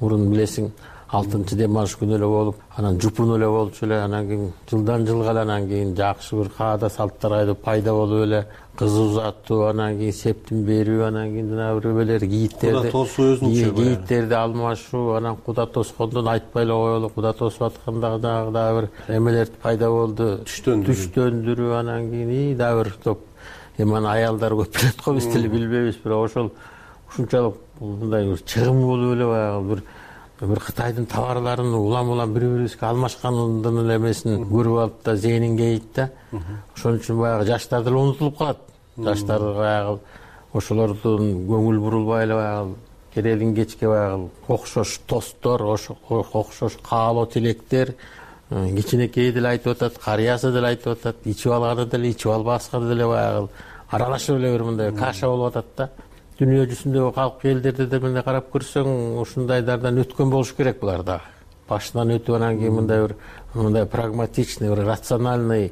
Мурун билесиң, алтынчы дем алыш күнү эле болуп, анан жупун эле болчу эле, анан кийин жылдан жылга эле анан кийин жакшы бир каада салттар айтып пайда болуп эле, кыз узатуу, анан кийин септин берүү, анан кийин жана бирөөлөр кийиттерди, кийиттерди алмашуу, анан куда тоскондон айтпай эле коелу, куда тосуп атканда дагы дагы бир эмелер пайда болду, түштөндүрүү, анан кийин и дагы бир топ. Эми аны аялдар көп билет го, биз деле билбейбиз, бирок ошол ушунчалык мындай бир чыгым болуп эле баягы бир бир Кытайдын товарларын улам-улам бири-бирибизге алмашкандын эле эмесин көрүп алып да зээнин кейит да. Ошон үчүн баягы жаштар деле унутулуп калат. Жаштар баягы ошолордун көңүл бурулбай эле баягы керелин кечке баягы окшош тосттор, окшош каалоо тилектер кичинекейи деле айтып атат, карыясы деле айтып атат, ичип алганы деле, ичип албасканы деле баягы аралашып эле бир мындай каша болуп атат да. Дүйнө жүзүндөгү калк элдерди да мындай карап көрсөң, ушундайдардан өткөн болуш керек булар да. Башынан өтүп анан кийин мындай бир мындай прагматичный, бир рациональный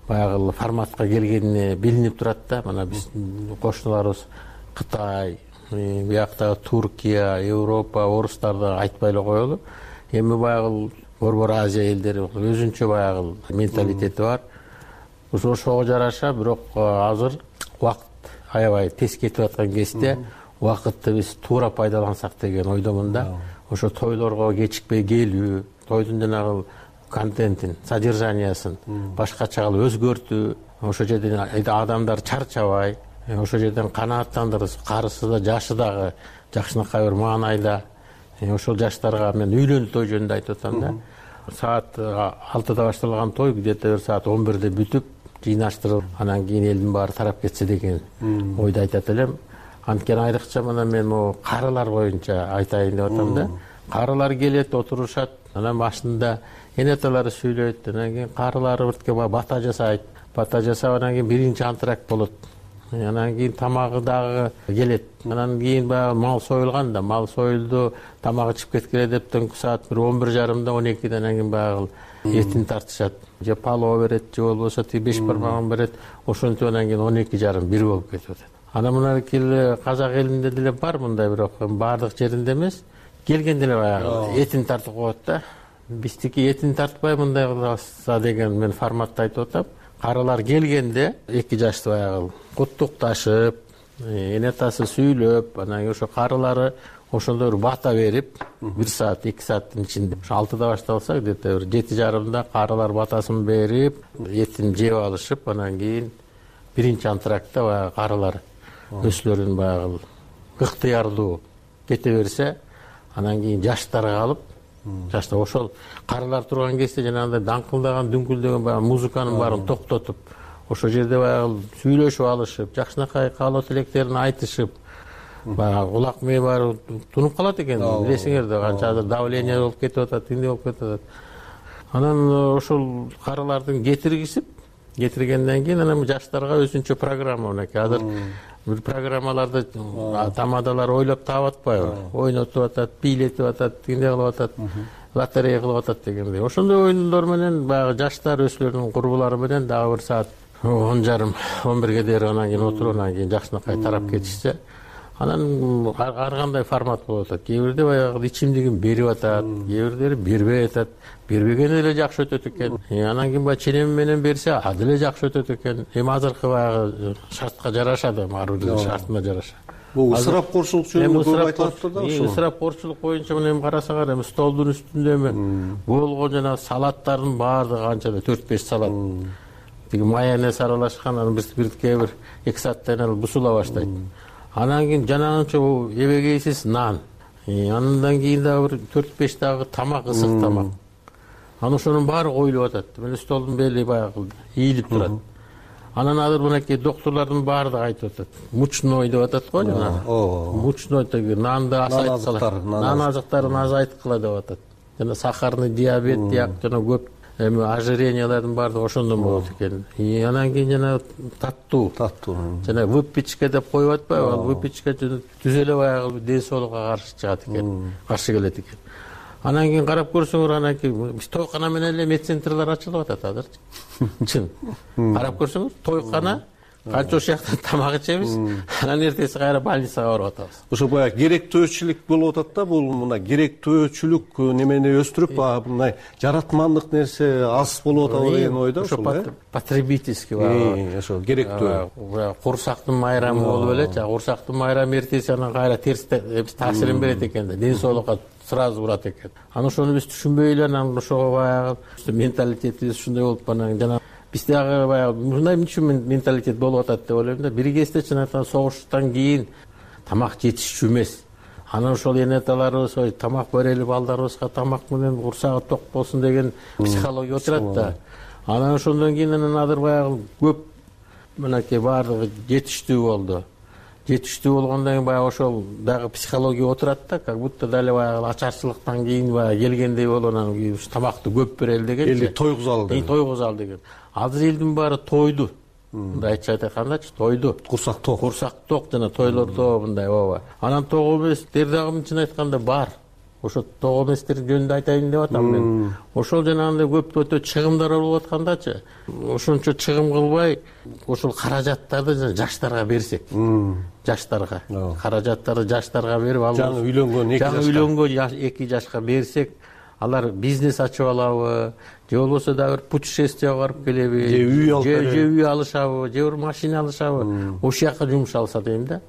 баягы форматка келгени билинип турат да. Мына биздин кошуналарыбыз Кытай, бияктагы Туркия, Европа, орустар да айтпай эле коелу. Эми баягы Борбор Азия элдери өзүнчө баягы менталитети бар. Ошого жараша, бирок азыр убакыт аябай тез кетип аткан кезде убакытты биз туура пайдалансак деген ойдомун да. Ошо тойлорго кечикпей келүү, тойдун жанагы контентин, содержаниясын башкача кылып өзгөртүү, ошо жерден адамдар чарчабай, ошо жерден канааттандырып, карысы да, жашы дагы жакшынакай бир маанайда. Ошол жаштарга мен үйлөнүү той жөнүндө айтып атам да. Саат алтыда башталган той где-то бир саат он бирде бүтүп, жыйнаштырып, анан кийин элдин баары тарап кетсе деген ойду айтат элем. Анткени айрыкча мына мен могу карылар боюнча айтайын деп атам да. Карылар келет, отурушат, анан башында энеталары сүйлөйт, анан кийин карылары биртке бата жасайт. Бата жасап анан кийин биринчи антракт болот. Анан кийин тамагы дагы келет. Анан кийин баягы мал союлган да, мал союлду, тамак ичип кеткиле деп түнкү саат бир он бир жарымда он экиде анан кийин баягы этин тартышат. Же палоо берет, же болбосо тиги беш бармагын берет. Ошентип анан кийин он эки жарым бир болуп кетип атат. Анан мына казак элинде деле бар мындай, бирок баардык жеринде эмес. Келгенде эле баягы этин тартып коет да. Биздики этин тартпай мындай кылса деген мен форматты айтып атам. Карылар келгенде эки жашты баягы куттукташып, энетасы сүйлөп, анан ошо карылары ошондой бир бата берип, бир саат, эки сааттын ичинде. Ошо алтыда башталса, где-то бир жети жарымда карылар батасын берип, этин жеп алышып, анан кийин биринчи антрактта баягы карылар өзүлөрүн баягы ыктыярдуу кете берсе, анан кийин жаштар калып, жаштар ошол карылар турган кезде жанагындай даңкылдаган, дүңкүлдөгөн баягы музыканын баарын токтотуп, ошо жерде баягы сүйлөшүп алышып, жакшынакай каалоо тилектерин айтышып, баягы кулак мээ баары тунуп калат экен. Билесиңер да, канча азыр давление болуп кетип атат, тиндей болуп кетип атат. Анан ошол карылардын кетиргизип, кетиргенден кийин анан жаштарга өзүнчө программа мынакей. Азыр бир программаларды тамадалар ойлоп таап атпайбы? Ойнотуп атат, бийлетип атат, тиндей кылып атат, лотерея кылып атат дегендей. Ошондой оюндар менен баягы жаштар өзүлөрүнүн курбулары менен дагы бир саат он жарым, он бирге дейин анан кийин отуруп, анан кийин жакшынакай тарап кетишсе, анан ар кандай формат болуп атат. Кээ бирде баягы ичимдигин берип атат, кээ бирлери бербей атат. Бербеген эле жакшы өтөт экен. Анан кийин баягы ченем менен берсе, а деле жакшы өтөт экен. Эми азыркы баягы шартка жарашады, ар биринин шартына жараша. Бул ысырапкорчулук жөнүндө көп айтылат да ошол. Ысырапкорчулук боюнча мына эми карасаңар, эми столдун үстүндө эми болгон жана салаттардын баардыгы канчада төрт беш салат. Тиги майонез аралашкан, анан бирке бир эки сааттан эле бусула баштайт. Анан кийин жанагынча эбегейсиз нан. Андан кийин дагы бир төрт беш дагы тамак, ысык тамак. Анан ошонун баары коюлуп атат. Мына столдун бели баягы ийилип турат. Анан азыр мынакей докторлордун баары да айтып атат. Мучной деп атат го жана. Мучной деги нанды азайтып калат. Нан азыктарын азайткыла деп атат. Жана сахарный диабет, диак жана көп эми ожирениялардын баардыгы ошондон болот экен. Анан кийин жана таттуу, таттуу. Жана выпечка деп коюп атпайбы? Ал выпечка түз эле баягы ден соолукка каршы чыгат экен, каршы келет экен. Анан кийин карап көрсөңөр, анан кийин биз тойкана менен эле медцентрлер ачылып атат азырчы. Чын. Карап көрсөңөр, тойкана канча ошол жакта тамак ичебиз, анан эртеси кайра больницага барып атабыз. Ошо баягы керектөөчүлүк болуп атат да, бул мына керектөөчүлүк немени өстүрүп, мындай жаратмандык нерсе аз болуп атабы деген ойдо ошол э? Потребительский баягы ошо керектөө. Курсактын майрамы болуп эле, жана курсактын майрамы эртеси анан кайра терс таасирин берет экен да, ден соолукка сразу урат экен. Анан ошону биз түшүнбөй эле, анан ошого баягы менталитетибиз ушундай болуп анан жана биз дагы баягы мындай үчүн менталитет болуп атат деп ойлойм да. Бир кезде чын айтканда согуштан кийин тамак жетишчү эмес. Анан ошол энеталарыбыз тамак берели балдарыбызга, тамак менен курсагы ток болсун деген психология отурат да. Анан ошондон кийин анан азыр баягы көп мынакей баардыгы жетиштүү болду. Жетиштүү болгондон кийин баягы ошол дагы психология отурат да, как будто дали баягы ачарчылыктан кийин баягы келгендей болуп анан тамакты көп берели деген. Элди тойгузалы деген. Тойгузалы деген. Азыр элдин баары тойду. Мындай айтча айткандачы, тойду. Курсак ток. Курсак ток жана тойлордо мындай ооба. Анан ток эмес, дер дагы чын айтканда бар. ошо тоо эместер жөнүндө айтайын деп атам мен. Ошол жанагындай көп өтө чыгымдар болуп аткандачы, ошончо чыгым кылбай ошол каражаттарды жаштарга берсек, жаштарга каражаттарды жаштарга берип, ал жаңы үйлөнгөн эки жаңы үйлөнгөн эки жашка берсек, алар бизнес ачып алабы, же болбосо дагы бир путешествие барып келеби, же үй алып же үй алышабы, же бир машина алышабы, ошол жака жумшалса дейм да.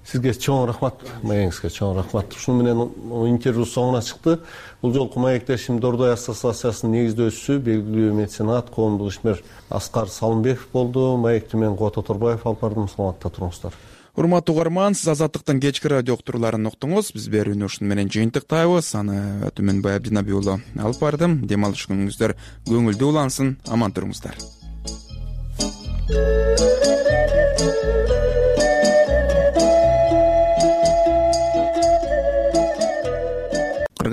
Сизге чоң рахмат, маегиңизге чоң рахмат. Ушуну менен интервью соңуна чыкты. Бул жолку маектешим Дордой ассоциациясынын негиздөөчүсү, белгилүү меценат, коомдук ишмер Аскар Салымбеков болду. Маекти мен Кубат Оторбаев алып бардым. Саламатта туруңуздар. Урматтуу угарман, сиз Азаттыктын кечки радио уктурууларын уктуңуз. Биз берүүнү ушуну менен жыйынтыктайбыз. Аны Түмөнбай Абдинаби уулу алып бардым. Дем алыш күнүңүздөр көңүлдүү улансын. Аман туруңуздар.